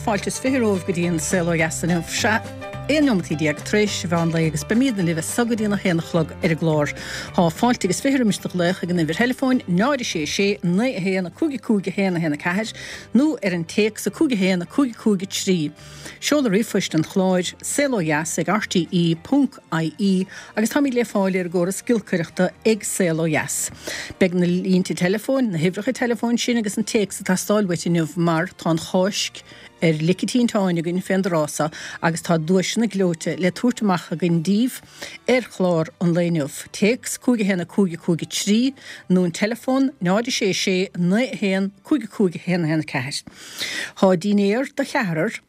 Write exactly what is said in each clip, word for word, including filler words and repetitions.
Fáilte is fiche romhaibh go dtí an Saol Ó Dheas inniu. Sea, aon neomat déag tar éis an mheán lae agus beimidne libh as so go dtí a haon a chlog ar an gclár. Tá fáilte agus fiche roimis do ghlaoch ag an uimhir theileafóin náid a sé sé naoi a haon a cúig a cúig a haon a haon a ceathair nó ar an téacs a cúig a haon a cúig a cúig a trí. Seoladh ríomhphoist an chláir saol ó dheas ag R T E ponc I E agus táimid le fáil ar an gcóras giolcaireachta ag Saol Ó Dheas. Beidh na línte teileafóin, na huimhreacha teileafóin sin agus an téacs ag teastáil uait inniu mar tá an Cháisc ar lic an tinteáin againn fén dtráth so agus tá duaiseanna gleoite le tabhairt amach againn díbh ar chlár an lae inniu. Téacs cúig a haon a cúig a cúig a trí nó an teileafón náid a sé sé naoi a haon cúig a cúig a haon a haon a ceathair. Tá dinnéar do cheathrar.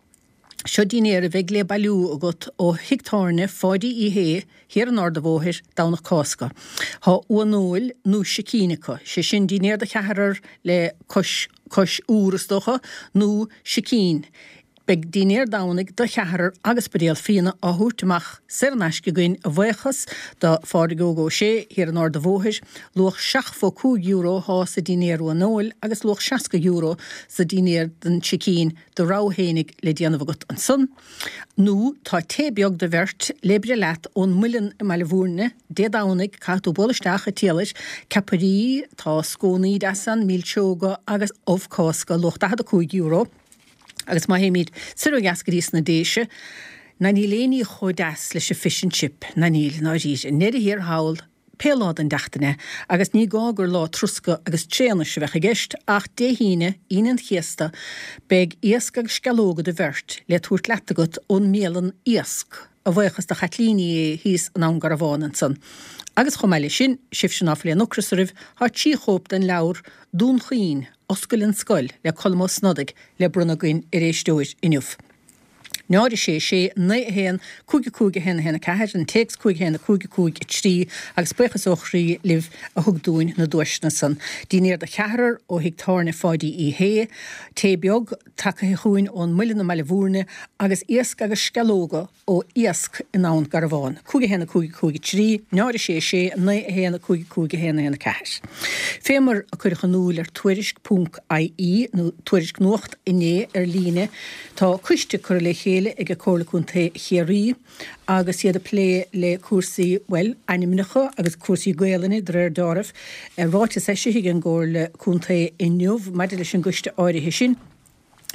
Seo dinnéar a bheidh le bailiú agat ó thigh tábhairne Pháidí Uí Shé thiar an Ard an Bhóthair Domhnach Cásca. Tá uanóil nó sicín acu, sé sin dinnéar do cheathrar le cois cois úr is dócha nó sicín. Beidh dinnéar Domhnaigh do cheathrar agus buidéal fíona á thabhairt amach saor in aisce againn a bhuíochas do Phádraig Óg Ó Sé thiar an Ard an Bhóthair, luach seachtó cúig euro atá sa dinnéar uanóil agus luach seasca euro sa dinnéar den sicín do rogha fhéinig le déanamh agat ansan. Nó tá tae beag do bheirt le breith leat ón Muileann i mBaile Bhúirne, Dé Domhnaigh caithfidh tú bualadh isteach ag triail air, ceapairí, tá scónaí deasa ann, milseoga agus ubh Cásca luach daichead a cúig euro. Agus má théimid soir ó dheas go dtí sna Déise, ná níl aon ní chomh deas leis an fish and chip, ná níl, i ndáiríre, i ndeireadh thiar thall, pé lá den tseachtain é, agus ní gá gur lá troscadh agus tréanais a bheadh i gceist, ach Dé hAoine, Aoine an Chéasta, beidh iasc agus sceallóga do bheirt le tabhairt leat agat ón mbialann Iasc, a bhuíochas do Chaitlín Ní Aodha thíos in Abhainn Garbhán ansan. Agus chomh maith leis sin, sibhse ná fuil aon ocras oraibh, tá trí chóip den leabhar Dún Chaoin, Oscail an Scoil le Colm Ó Snodaigh le bronnadh againn ar éisteoir inniu. Náid a sé sé naoi a haon cúig a cúig a haon a haon a ceathair, an téacs cúig a haon a cúig a cúig a trí agus buíochas ó chroí libh a thug dúinn na duaiseanna san. Dinnéar do cheathrar ó thigh tábhairne Pháidí Uí Shé, tae beag tagaithe chugainn ón Muileann i mBaile Bhúirne agus iasc agus sceallóga ó Iasc in Abhainn Garbhán. Cúig a haon a cúig a cúig a trí, náid a sé sé naoi a haon a cúig a cúig a haon a haon a ceathair. Fé mar a cuireadh in iúl ar tuairisc ponc I E nó Tuairisc Nuacht inné ar líne, tá coiste curtha le chéile ag Comhairle Contae Chiarraí agus iad ag plé le cúrsaí, bhuel, ainmneacha agus cúrsaí Gaelainne de réir dealraimh. Ráiteas eisithe ag an gComhairle Contae inniu maidir leis an gcoiste áirithe sin.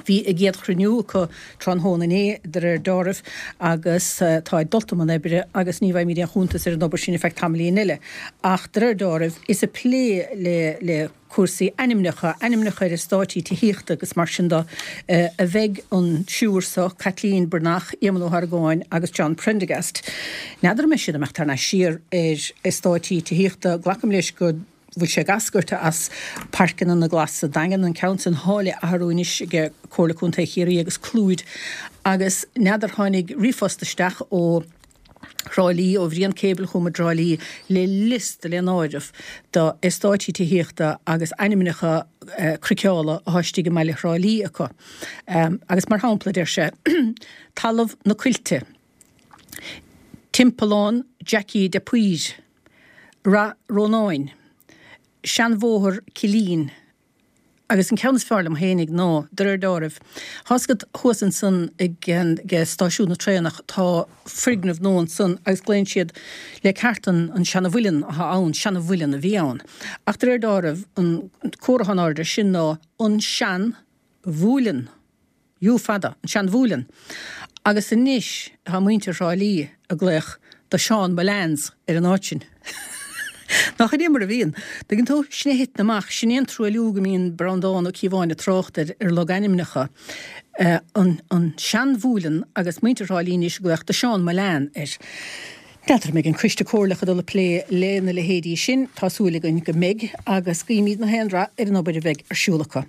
Bhí a gcéad chruinniú acu tráthnóna inné de réir dealraimh agus tá ag dul i mbun oibre agus ní bhfaighimid aon chuntas ar an obair sin ar feadh tamaillín eile. Ach de réir dealraimh is ag plé le le cúrsaí ainmneacha, ainmneacha ar eastáití tithíochta agus mar sin de a bheidh an triúr seo, Caitlín Breathnach, Éamonn Ó hArgáin agus John Prendergast. N'fheadar an mbeidh siad ag imeacht thar n-ais siar ar eastáití tithíochta, glacaim leis go bhfuil sé ag eascairt as Páirceanna na Glas sa Daingean, an ceann sin thá le athrú anois ag Comhairle Contae Chiarraí agus Clúid agus n'fheadar tháinig ríomhphost isteach ó Thrá Lí, ó Bhrian Cable chugam i dTrá Lí le liosta le n-áireamh do eastáití tithíochta agus ainmneacha craiceála atá istigh i mbaile Thrá Lí acu. Agus mar shampla deir sé Talamh na Coillte, Timpeallán Jackie de Paor, Rath Rónáin, Seanbhóthar Cillín, agus an ceann is fearr liom fhéinig ná, de réir dealraimh, tá a fhios agat thuas ansan ag stáisiún na traenach tá foirgneamh nua ansan agus glaonn siad le ceart an an seana-mhuileann atá ann, seana-mhuileann a bhí ann. Ach de réir dealraimh an comhartha in airde sin ná an sean-mhúileann. U fada, an seanmhúileann. Agus anois tá muintir Thrá Lí ag glaoch The Sean Mullans ar an áit sin. Nach in é mar a bhíonn? Tuigeann tú? Sin é a thiteann amach, sin é an truailliú go mbíonn Breandán Ó Cíobháin ag trácht ar ar logainmneacha. An an seanmhúileann agus muintir Thrá Lí anois ag glaoch The Sean Mullan air. N'fheadar an mbeidh an coiste comhairleach ag dul ag plé lena leithéidí sin, tá súil againn go mbeidh, agus guímid na haon rath ar an obair a bheidh ar siúl acu.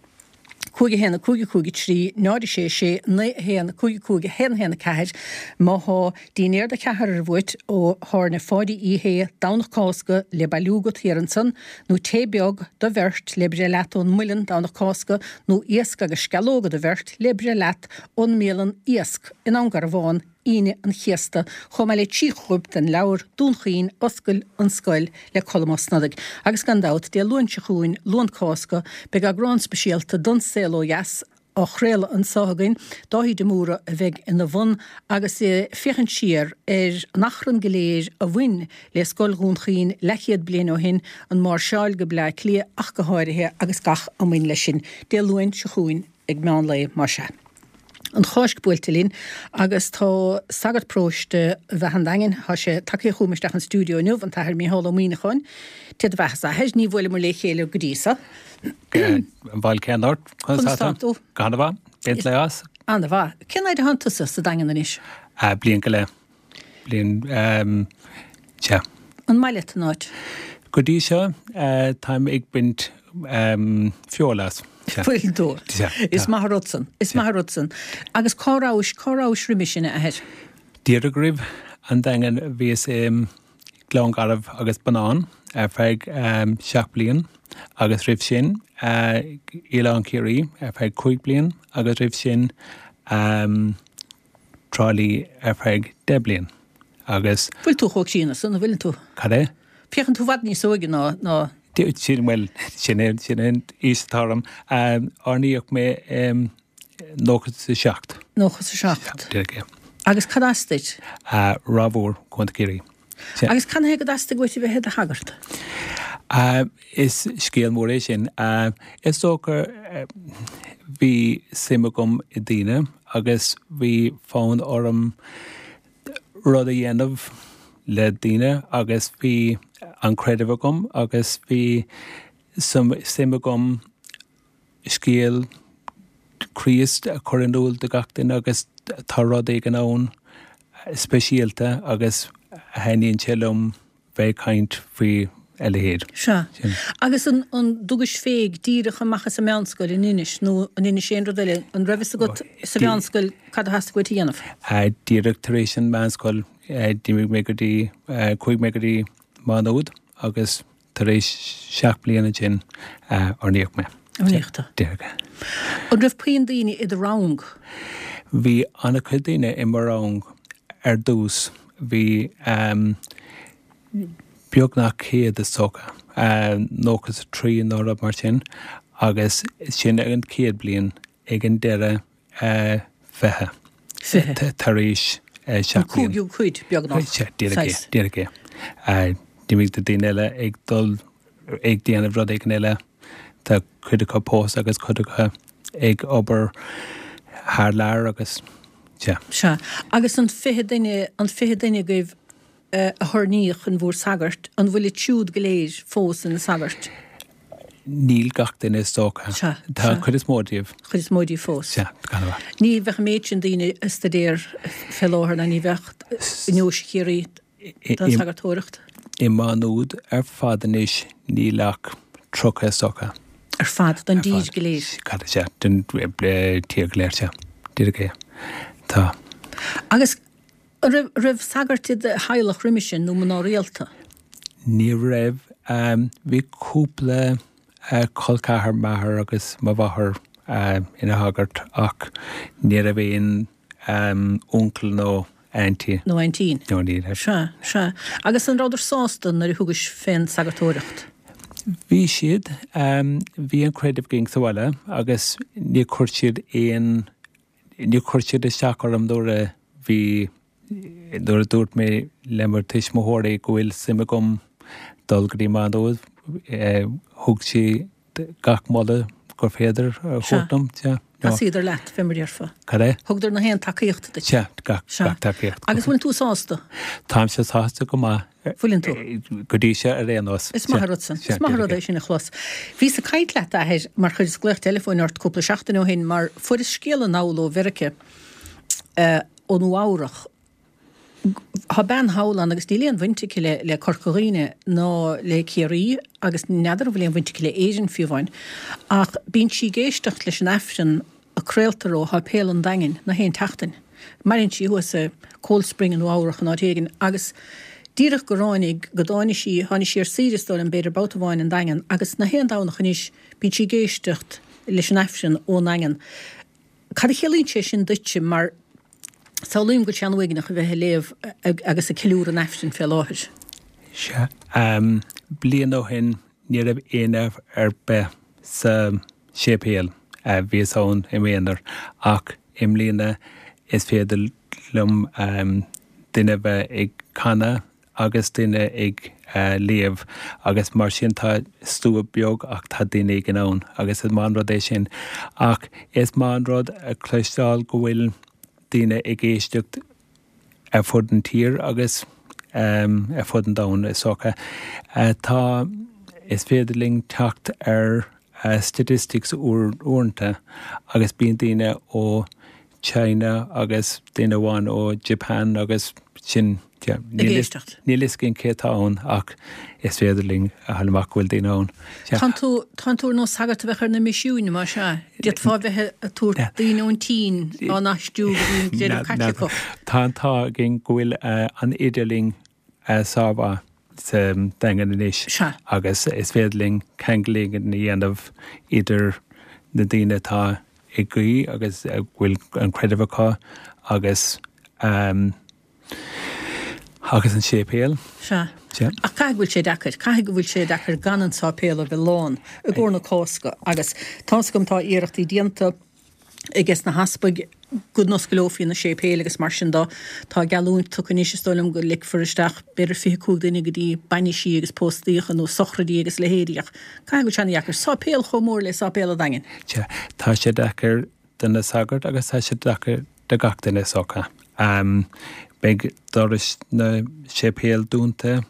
cúig a haon a cúig a cúig a trí náid a sé sé naoi a haon cúig a cúig a haon a haon a ceathair Má thá dinnéar do cheathrar uait ó thábhairne Pháidí Uí Shé Domhnach Cásca le bailiú agat thiar ansan, nó tae beag do bheirt le breith leat ón Muileann Domhnach Cásca, nó iasc agus sceallóga do bheirt le breith leat ón mbialann Iasc in Abhainn Garbhán Aoine an Chéasta, chomh maith le trí chóip den leabhar Dún Chaoin, Oscail an Scoil le Colm Ó Snodaigh. Agus gan dabht, Dé Luain seo chugainn, Luan Cásca, beidh eagrán speisialta don Saol Ó Dheas á chraoladh anso againn. Dáithí de Mórdha a bheidh ina bhun agus é ag féachaint siar ar an achrann go léir a bhain le Scoil Dhún Chaoin leathchéad bliain ó shin, an máirseáil go Bleá Cliath ach go háirithe agus gach a mbain leis sin. Dé Luain seo chugainn ag meán lae, más ea. An Cháisc buailte linn agus tá sagart paróiste Bheatha an Daingin, tá sé tagtha chugam isteach an stiúideo inniu, an tAthair Mícheál Ó Muíneacháin. Dé do bheatha, a Athair, ní bhuaileamar le chéile go dtí seo. An bhfuil cén ort? Conas tá tú? Go han-mhaith. Baint le as? An-mhaith. Cén fhaid a thánn tusa sa Daingean anois? Bliain go leith. Bliain, sea. An maith leat an áit? Go dtí seo, táim ag baint feoil as. Bhfuil tú? Is maith an rud san. Is maith an rud san. Agus cá rabhais, cá rabhais roimis sin, a Athair? Díreach roimh an Daingean bhíos i Gleann Garbh agus Bonnán ar feadh seacht bliain agus roimh sin Oileán Ciarraí ar feadh cúig bliain agus roimh sin Trá Lí ar feadh deich bliain agus. Bhfuil tú chomh críonna san, an bhfuileann tú? Cad é? Féachann tú i bhfad níos óige ná, ná. Sin, bhuel, sin é, sin é an aois atá orm. Oirníodh mé i nócha is a seacht. Nócha is a seacht. Díreach, yeah. Agus cad as duit? Ráth Mhór, Contae Chiarraí. Agus cad chuige go dteastaigh uait a bheith i do shagart? Is scéal mór é sin. Is dócha bhí suim agam i daoine agus bhí fonn orm rud a dhéanamh le daoine agus bhí an creideamh agam agus bhí suim agam scéal Chríost a chur in iúl do gach duine agus tá rud éigin ann speisialta agus thaitníonn sé liom bheith ag caint faoi a leithéid. Sea. Agus an dtugais fé díreach amach as an meánscoil in Inis nó an inis aon rud eile? An raibh fhios agat sa mheánscoil cad a theastaigh uait a dhéanamh? Díreach tar éis an mheánscoil d'imigh mé go dtí, chuaigh mé go dtí Má Nuad agus tar éis seacht bliana ansin oirníodh mé. Oirníodh tú. Díreach. An raibh puinn daoine i do rang? Bhí an-chuid daoine i mo rang ar dtús. Bhí beagnach céad is dócha, nócha is a trí nó rud mar sin, agus sin ag an chéad bliain, ag an deireadh fiche. Fiche. Tar éis seacht bliain. An cúigiú cuid, beagnach. Sea, díreach é, díreach é. D'imigh na daoine eile ag dul ag déanamh rud éigin eile, tá cuid acu pósta agus cuid acu ag obair thar lear agus, sea. Sea. Agus an fiche duine, an fiche duine agaibh a hoirníodh in bhur sagairt, an bhfuilid siúd go léir fós ina sagairt? Níl gach duine is dócha. Sea, Tá an chuid is mó díobh. Chuid is mó díobh fós. Sea, gan amhras. Ní bheadh an méid sin daoine ag staidéar fé láthair ná ní bheadh i nDeoise Chiarraí don sagartóireacht. I Má Nuad ar fad anois níl ach tríocha is dócha. Ar fad, don dtír go léir. Cad é, sea, don tír go léir, sea. Díreach é. Tá. Agus An raibh, raibh sagairt i do theaghlach roimis sin nó mná rialta? Ní raibh. Bhí cúpla col ceathar m'athair agus mo mháthair ina shagart ach ní raibh aon uncail nó aintín. Nó aintín. No, ní raibh. Sea, sea. Agus an rabhadar sásta nuair a thugais fén sagartóireacht? Bhí siad. Bhí an creideamh againn sa bhaile agus níor chuir siad aon Níor chuir siad isteach orm nuair a bhí, nuair a dúirt mé le mo tuismitheoirí go bhfuil suim agam dul go dtí Má Nuad, thug siad gach moladh gur féidir a thabhairt dom. Sea. Thacaíodar leat, fé mar a déarfá. Cad é? Thugadar na haon tacaíocht duit. Sea, gach, gach tacaíocht. Agus bhfuileann tú sásta? Táimse sásta go maith. Bhfuileann tú? Go dtí seo ar aon nós. Is maith an rud san. Is maith an rud é sin a chlos. Bhíos ag caint leat, a Athair, mar chuireas glaoch teileafóin ort cúpla seachtain ó shin mar fuaireas scéala anall ó Mheiriceá, ó Nua Eabhrach. Tá bean thall ann agus níl aon bhaint aici le le Corca Dhuibhne ná le Ciarraí agus n'fheadar an bhfuil aon bhaint aici le Éirinn fiú amháin. Ach bíonn sí ag éisteacht leis an Aifreann a craoltar ó Sháipéal an Daingin na haon tseachtain. Maireann sí thuas i Cold Spring i Nua Eabhrach in áit éigin agus díreach go ráinig go dtáinig sí, tháinig sí ar saoire is dóigh liom b'fhéidir babhta amháin an Daingean agus na haon Domhnach anois bíonn sí ag éisteacht leis an Aifreann ón nDaingean. Cad a chiallaíonn sé sin duitse mar samhlaím go bhfuil sé an-uaigneach a bheith ag léamh agus ag ceiliúradh an Aifrinn fé láthair. Sea. Bliain ó shin ní raibh éinne ar bith sa séipéal. Bhíos ann i m'aonar ach i mbliana is féidir liom duine bheith ag canadh agus duine ag léamh agus mar sin tá slua beag ach tá duine éigin ann agus is maith an rud é sin. Ach is maith an rud a chloisteáil go bhfuil daoine ag éisteacht ar fud an tír agus ar fud an domhain is dócha. Tá, is féidir linn teacht ar statistics uaireanta agus bíonn daoine ó China agus duine amháin ó Japan agus sin níl fhios againn cé atá ann ach is féidir linn a fháil amach go bhfuil daoine ann. Tánn tú, tánn tú ar nós sagart a bheadh ar na misiúin, más ea? D'fhéadfá bheith ag tabhairt daoine ón tSín á n-aistriú go dtí an gcreideamh Caitliceach. Tá an t-ádh againn go bhfuil an idirlíon sármhaith sa Daingean anois agus is féidir linn ceangal éigin a dhéanamh idir na daoine atá ag guí agus a bhfuil an creideamh acu agus agus an séipéal. Sea. Sea. Ach caithfidh go bhfuil sé deacair, caithfidh go bhfuil sé deacair gan an sáipéal a bheith lán i gcomhair na Cásca agus tá's agam tá iarrachtaí déanta ages na heaspaig go n-osclófaí na séipéil agus mar sin de. Tá geallúint tugtha anois, is dóigh liom, go ligfear isteach b'fhéidir fiche cúig duine go dtí bainisí agus póstaíocha nó sochraidí agus leithéidí ach caithfidh go bhfuil sé an-dheacair. Sáipéal chomh mór le Sáipéal an Daingin. Sea, tá sé deacair do na sagairt agus tá sé deacair do gach duine is dócha. Beidh dorais na séipéal dúnta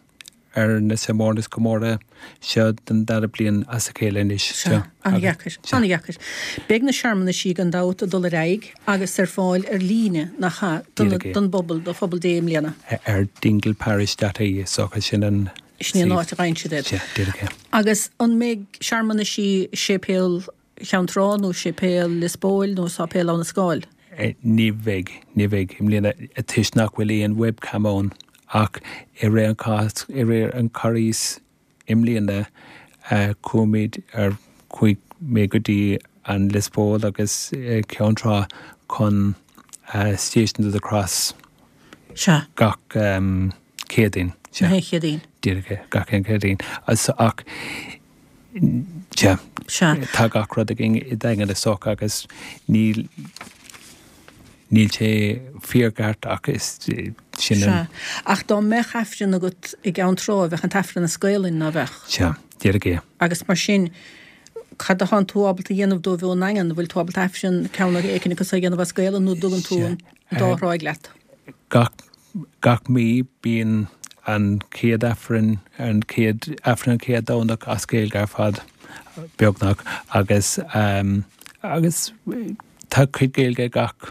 ar na searmanais comórtha seo den dara bliain as a chéile anois. Sea, an-dheacair, an-dheacair. Beidh na searmanaisí gan dabht ag dul ar aghaidh agus ar fáil ar líne, nach ea, don bpobal, do phobal Dé i mbliana. Ar dingleparish dot ie, is dócha, sin an Sin an áit a bhfaigheann siad iad. Sea, díreach é. Agus an mbeidh searmanaisí i Séipéal Cheann Trá nó Séipéal Lios Póil nó Sáipéal Abha na Scáil? Ní bheidh, ní bheidh i mbliana toisc nach bhfuil aon webcam ann. Ach i rith an Chás, i rith an Charghais i mbliana, chuaigh ar, chuaigh mé go dtí an Lios Póil agus Ceann Trá chun Stations of the Cross Sea. gach Céadaoin. Sea. Gach aon Chéadaoin. Díreach é, gach aon Chéadaoin. Ach sea, Sea. tá gach rud againn i Daingean is dócha agus níl, Níl sé fíorcheart ach is sin an. Sea. Ach dá mbeadh Aifreann agat i gCeann Trá, bheadh an tAifreann as Gaolainn, ná bheadh? Sea, díreach é. Agus mar sin, cad atánn tú ábalta a dhéanamh dóibh ón nDaingean? An bhfuil tú ábalta Aifreann, ceann éicint acu a dhéanamh as Gaolainn nó an dtugann tú an dá thráigh leat? Gach, gach mí bíonn an chéad Aifreann, an chéad, Aifreann an chéad Domhnach as Gaeilge ar fad, beagnach, agus, agus tá cuid Gaeilge gach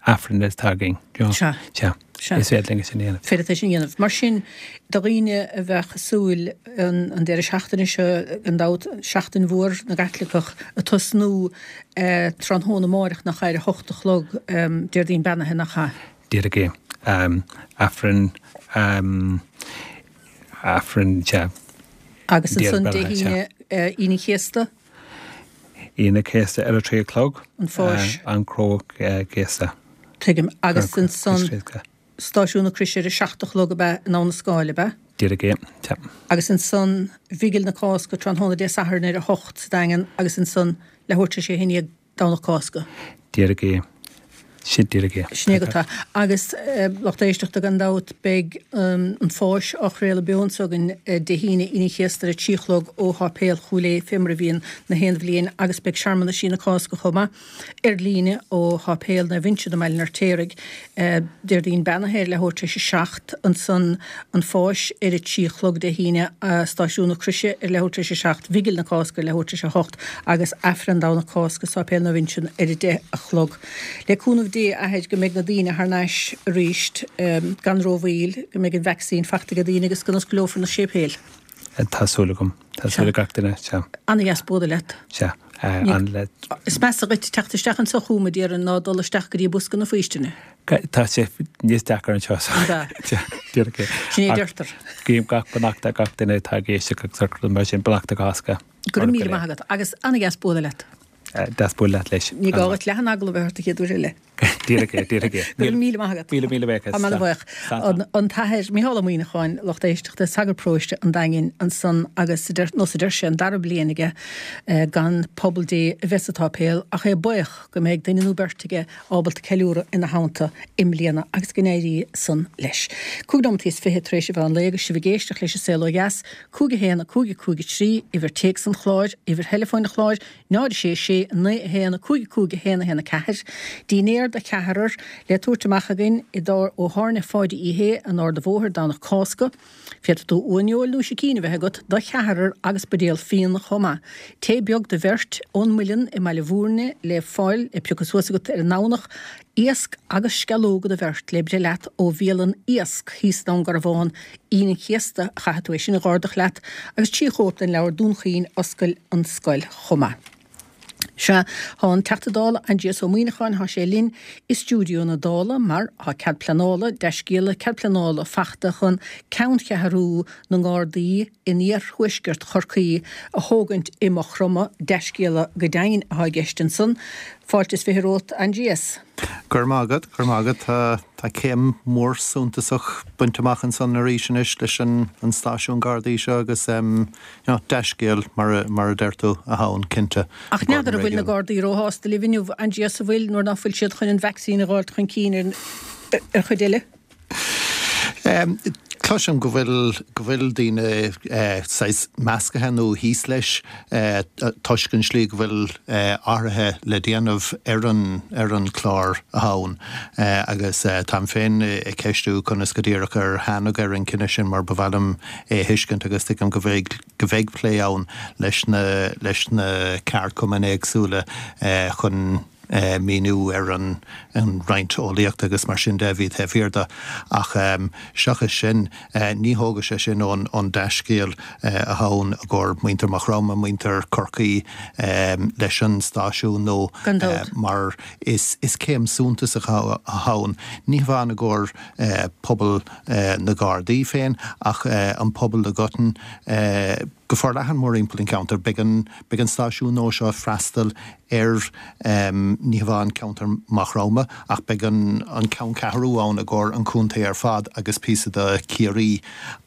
Aifreann atá againn. Sea. Sea. Sea. Is féidir linn é sin a dhéanamh. Féidir é sin a dhéanamh. Mar sin, do dhaoine a bheadh ag súil an an deireadh seachtaine seo, gan dabht, Seachtain Mhór na gCaitliceach ag tosnú tráthnóna amáireach, nach ea, ar a hocht a chlog, Déardaoin Beannaithe, nach ea? Díreach é. Aifreann, Aifreann, sea. Agus ansan Dé hAoine, Aoine an Chéasta? Aoine an Chéasta ar a trí a chlog. An Pháis. An Chró Chéasta. Tuigim. Agus ansan Stáisiún na Croise ar a seacht a chlog ab ea in Abha na Scáil, ab ea? Díreach é, sea. Agus ansan Bhigil na Cásca tráthnóna Dé Sathairn ar a hocht sa Daingean agus ansan leathuair tar éis a haon déag Domhnach Cásca. Díreach é. Sin díreach é. Sin é go tá. Agus lucht éisteachta gan dabht beidh an Pháis á chraoladh beo anso againn Dé hAoine, Aoine an Chéasta ar a trí a chlog ó Sháipéal Chúil Aodha fé mar a bhíonn na haon bhliain agus beidh searmanaisí na Cásca chomh maith ar líne ó Sháipéal Naomh Uinseann i mBaile an Fheirtéaraigh Déardaoin Beannaithe ar leathuair tar éis a seacht, ansan an Pháis ar a trí a chlog Dé hAoine, Stáisiún na Croise ar leathuair tar éis a seacht, Bhigil na Cásca ar leathuair tar éis a hocht agus Aifreann Domhnach Cásca i Sáipéal Naomh Uinseann ar a deich a chlog. Le cúnamh Dé, a Athair, go mbeidh na daoine thar n-ais arís gan rómhoill, go mbeidh an vacsaín fachta ag daoine agus go n-osclófar na séipéil. Tá súil agam. Tá súil ag gach duine, sea. Ana-dheas bualadh leat. Sea. An-le. Is measa dhuit teacht isteach anso chugam, a déarfainn, ná dul isteach go dtí bosca na faoistine. Tá sé níos deacra anseo. An ea? Sea, díreach é. Sin é a deirtear. Guím gach beannacht ar gach duine atá ag éisteacht agus ar mar sin, beannacht na Cásca. Go raibh míle maith agat agus ana-dheas bualadh leat. Deas bualadh leat leis. Ní gá dhuit leath an agallamh a bheith ort an chéad uair eile. Díreach é, díreach é. Go raibh míle maith agat. Míle míle buíochas. Tá mé ana-bhuíoch. An tAthair Mícheál Ó Muíneacháin, lucht éisteachta, sagart paróiste an Daingin ansan agus nós a deir sé an dara bliain aige gan pobal Dé a bheith sa tsáipéal ach é buíoch go mbeidh duine nó beirt aige ábalta ceiliúradh ina theannta i mbliana agus go n-éirí san leis. Cúig nóimeataí is fiche tar éis a mheán lae agus sibh ag éisteacht leis an Saol Ó Dheas, cúig a haon, a cúig, a cúig a trí, uimhir téacs an chláir, uimhir theileafóin an chláir, náid a sé sé, naoi a haon, a cúig, a cúig, a haon, a haon, a ceathair. Dinnéar do cheathrar le tabhairt amach againn i dtár ó Thábhairne Pháidí Uí Shé in Ard an Bhóthair, Domhnach Cásca. Féadfaidh tú uaineoil nó sicín a bheith agat do cheathrar agus buidéal fíona chomh maith. Tae beag do bheirt ón Muileann i mBaile Bhúirne le fáil le piocadh suas agat ar an nDomhnach. Iasc agus sceallóga do bheirt le breith leat ó bhialann Iasc thíos i nDún Garbhán, Aoine an Chéasta a chaithfidh tú é sin a dh'ordach leat agus trí chóip den leabhar Dún Chaoin, Oscail an Scoil chomh maith. Sea, thá an Teachta Dála Aindrias Ó Muíneacháin, thá sé linn i stiúideo na Dála mar thá cead pleanála, dea-scéala, cead pleanála fachta chun ceanncheathrú na nGardaí in iarthuaisceart Chorcaí a thógaint i Maigh Chromtha, dea-scéala go deimhin athá i gceist ansan. Fáilte is fiche romhat, Aindrias. Go raibh maith agat, go raibh maith agat. Tá, tá céim mhór suntasach bainte amach ansan arís anois leis an, an stáisiún Gardaí seo agus em, you know, dea-scéal mar a, mar a deir tú, atá ann, cinnte. Ach n'fheadar an bhfuil na Gardaí róshásta libh inniu, Aindrias, an bhfuil, nuair ná fuil siad chun an vacsaín a dh'fháilt chun cinn ar, ar chuid eile? Em, Cloisim go bhfuil, go bhfuil daoine eh, saghas meascaithe nó thíos leis eh, toisc an slí go bhfuil eh, athruithe le déanamh ar an, ar an chlár atá ann eh, agus eh, táim féin ag ceistiú conas go díreach ar tháinig ar an cinneadh sin mar ba mhaith liom é a thuiscint agus tuigim go bheidh, go bheidh plé ann leis na, leis na ceardchumainn éagsúla eh, chun eh, míniú ar an, an roinnt eolaíochta agus mar sin de a bhí taobh thiar de. Ach em, seachas sin, eh, ní thógfaidh sé sin ón, ón dea-scéal eh, atá ann i gcomhair muintir Mhaigh Chromtha, muintir Chorcaí em, leis an stáisiún nó Gan dabht. eh, mar is, is céim suntasach atá ann. Ní hamháin i gcomhair eh, pobal eh, na Gardaí féin ach eh, an pobal i gcoitinne eh, go forleathan mórthimpeall an cheantair. Beidh an, beidh an stáisiún nua seo ag freastal ar um, ní hamháin ceantar Mhaigh Chromtha ach beidh an, an ceanncheathrú ann i gcomhair an chontae ar fad agus píosa de Chiarraí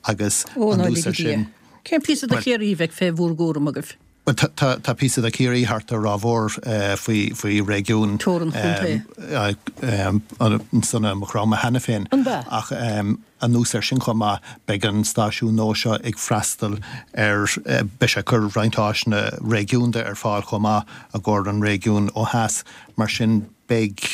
agus Ó, ná anuas ar ligí Dia. sin. Cén píosa de Well- Chiarraí a bheidh fé bhur gcúram agaibh? Well, tá, tá, tá píosa de Chiarraí thart ar Ráth Mhór eh, faoi, faoi réigiún Teorainn chontae. um, um, san Maigh Chromtha cheana féin. An bea? Ach um, anuas ar sin chomh maith beidh an stáisiún nua seo ag freastal ar eh, beidh sé ag cur roinnt áiseanna réigiúnda ar fáil chomh maith i gcomhair an réigiún ó theas mar sin beidh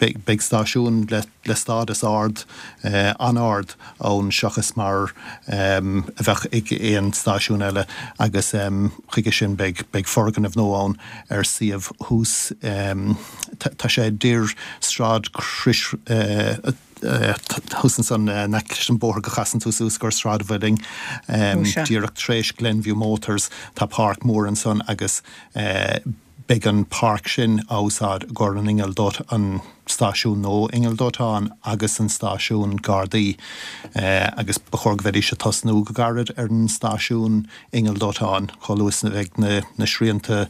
beidh, beidh stáisiún le, le stádas ard eh, an-ard ann seachas mar um, a bheadh ag aon stáisiún eile agus um, chuige sin beidh, beidh foirgneamh nua ann ar suíomh thuas um, tá tá sé idir Sráid Chrois uh, thuas ansan leis an bóthar go chasann tú suas go Sráid an Mhuilinn um, Ó, sea. díreach tar éis Glenview Motors tá páirc mór ansan agus eh, beidh an páirc sin á úsáid i gcomhair an inneall dóite an stáisiún nó inneall dóiteáin agus an stáisiún Gardaí eh, agus ba chóir go mbeidís ag tosnú go gairid ar an stáisiún inneall dóiteáin chomh luath is a bheidh na, na srianta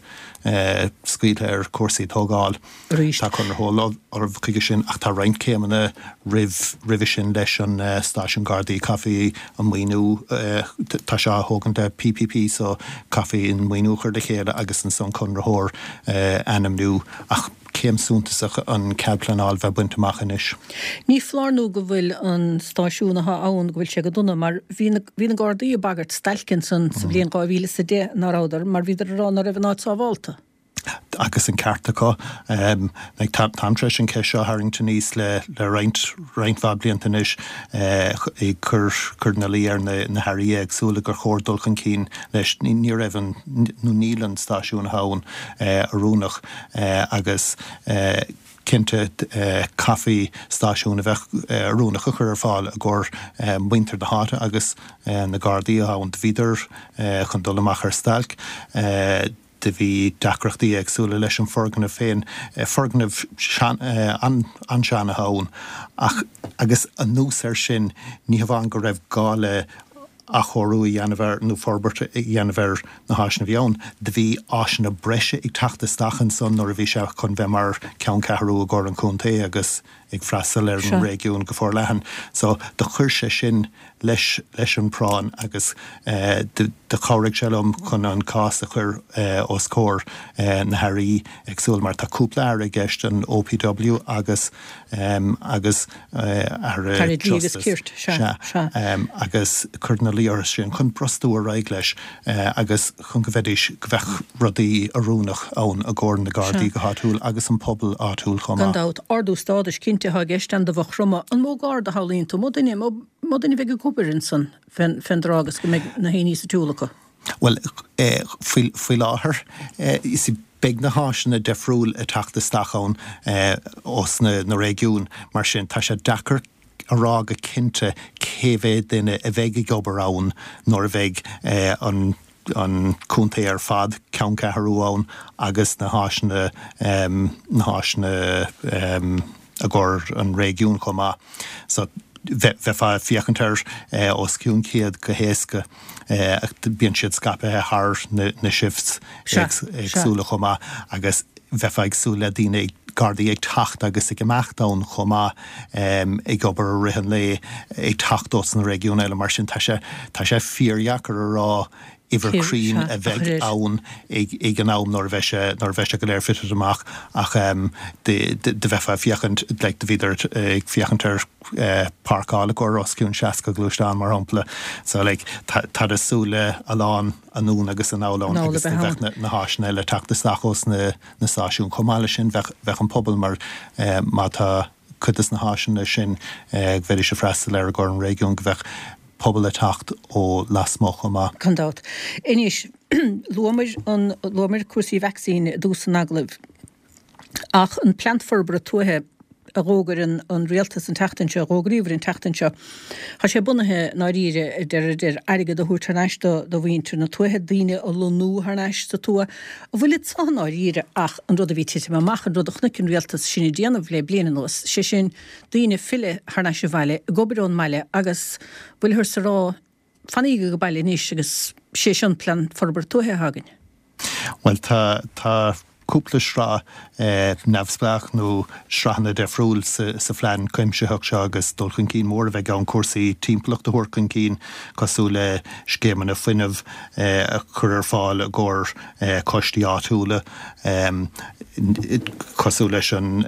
eh, scaoilte ar cúrsaí tógáil. Arís. Tá conraitheoir ullamh chuige sin ach tá roinnt céimeanna roimh roimhe sin leis an uh, stáisiún Gardaí caithfidh an maoiniú uh, tá sé á thógaint le P P P so caithfidh an maoiniú chur le chéile agus ansan conraitheoir uh, ainmniú ach céim suntasach an cead pleanála bheith bainte amach anois. Ní foláir nó go bhfuil an stáisiún atá ann go bhfuil sé go dona mar bhí na, bhí na Gardaí ag bagairt stailc ansan sa bhliain dhá mhíle is a deich nach rabhadar mar bhíodar ag rá nach raibh an áit sábháilte. Agus an ceart acu um, like, tá táim tar éis an cheist seo a tharraingt aníos le le roinnt roinnt mhaith blianta anois eh, ag cur cur ina luí ar na, na hairí éagsúla gur chóir dul chun cinn leis ní, ní raibh an nó níl an stáisiún ann eh, oiriúnach eh, agus eh, cinnte eh, caithfidh stáisiún a bheith eh, oiriúnach a chur ar fáil i gcomhair eh, muintir na háite agus eh, na Gardaí ann bhíodar eh, chun dul amach ar stailc. Eh, do bhí deacrachtaí éagsúla leis an foirgneamh féin eh, foirgneamh sean, eh, an, an-sean ann ach agus anuas ar sin ní hamháin go raibh gá le athchóiriú a dhéanamh ar nó forbairt a dhéanamh ar na háiseanna a bhí ann. Do bhí áiseanna breise ag teacht isteach ansan nuair a bhí sé chun bheith mar ceanncheathrú i gcomhair an chontae agus ag freastal ar an réigiún go forleathan. So do chuir sé sin leis leis an bpráinn agus do chabhraigh sé liom chun an cás a chur os comhair na hairí éagsúla mar tá cúpla aire i gceist, an OPW agus agus Aire Justice. Sea. Agus cur ina luí orthu sin chun brostú ar aghaidh leis agus chun go bheidís, go bheadh rudaí oiriúnach ann i gcomhair na Gardaí go háitiúil agus an pobal áitiúil chomh maith. Gan dabht, ardú stádais cinnte atá i gceist ann do Mhaigh Chromtha. An mó Garda a shamhlaíonn tú? Mó duine, mó duine a bheidh ag obair ansan fén dtráth agus go mbeidh na héinní sa tsiúl acu? Bhuel, faoi, faoi láthair, you see, beidh na háiseanna difriúil ag teacht isteach ann ós na, na réigiúin, mar sin tá sé deacair a rá go cinnte cé mhéad duine a bheidh ag obair ann nuair a bheidh an an contae ar fad, ceanncheathrú ann agus na háiseanna na háiseanna i gcomhair an réigiún chomh maith. So bheifeá ag féachaint ar os cionn céad go héasca ach bíonn siad scaipthe thar na shifts éagsúla chomh maith agus bheifeá ag súil le daoine ag Gardaí ag teacht agus ag imeacht ann chomh maith, ag obair i rith an lae, ag teacht ós na réigiúin eile, mar sin tá sé, tá sé fíordheacair a rá uimhir cruinn a bheidh ann ag an am nuair a bheidh sé, nuair a bheidh sé go léir fitted amach ach do bheifeá ag féachaint, like do bhíodar ag féachaint ar páirceáil i gcomhair os cionn seasca gluaisteán mar shampla so like tá, táid ag súil le a lán anonn agus anall ann agus do bheadh na háiseanna eile ag teacht isteach ós na na stáisiúin. Chomh maith leis sin bheadh bheadh an pobal mar má tá cuid de na háiseanna sin go bhféadfaidís a freastal ar i gcomhair an réigiún go bheadh pobal ag teacht ó lasmuigh chomh maith. Gan dabht. Anois, luamar an, luamar cúrsaí vacsaíne i dtús an agallaimh. Ach an Plean Forbartha Tuaithe a d'fhógair an an Rialtas an tseachtain seo, a d'fhógraíomar an tseachtain seo, tá sé bunaithe i ndáiríre, a deir ar airgead a thabhairt thar n-ais do do mhuintir na tuaithe, daoine a lonnú thar n-ais sa tuath. An bhfuil anseo i ndáiríre ach an rud a bhí ag titim amach, an rud a chonaic an Rialtas sinn ag déanamh le bliain anuas, sé sin, daoine filleadh thar n-ais abhaile, ag obair ón mbaile agus bhfuilthear ag rá, fanaígí ag baile anois agus sé seo an Plean Forbartha Tuaithe atá againn. Bhuel, tá, tá cúpla sraith neamhspleách nó sraitheanna difriúil sa phlean cuimsitheach seo agus dul chun cinn mór a bheidh ann cúrsaí timpeallachta a thabhairt chun cinn cosúil le scéimeanna fuinnimh a chur ar fáil i gcomhair coistí áitiúla cosúil leis an,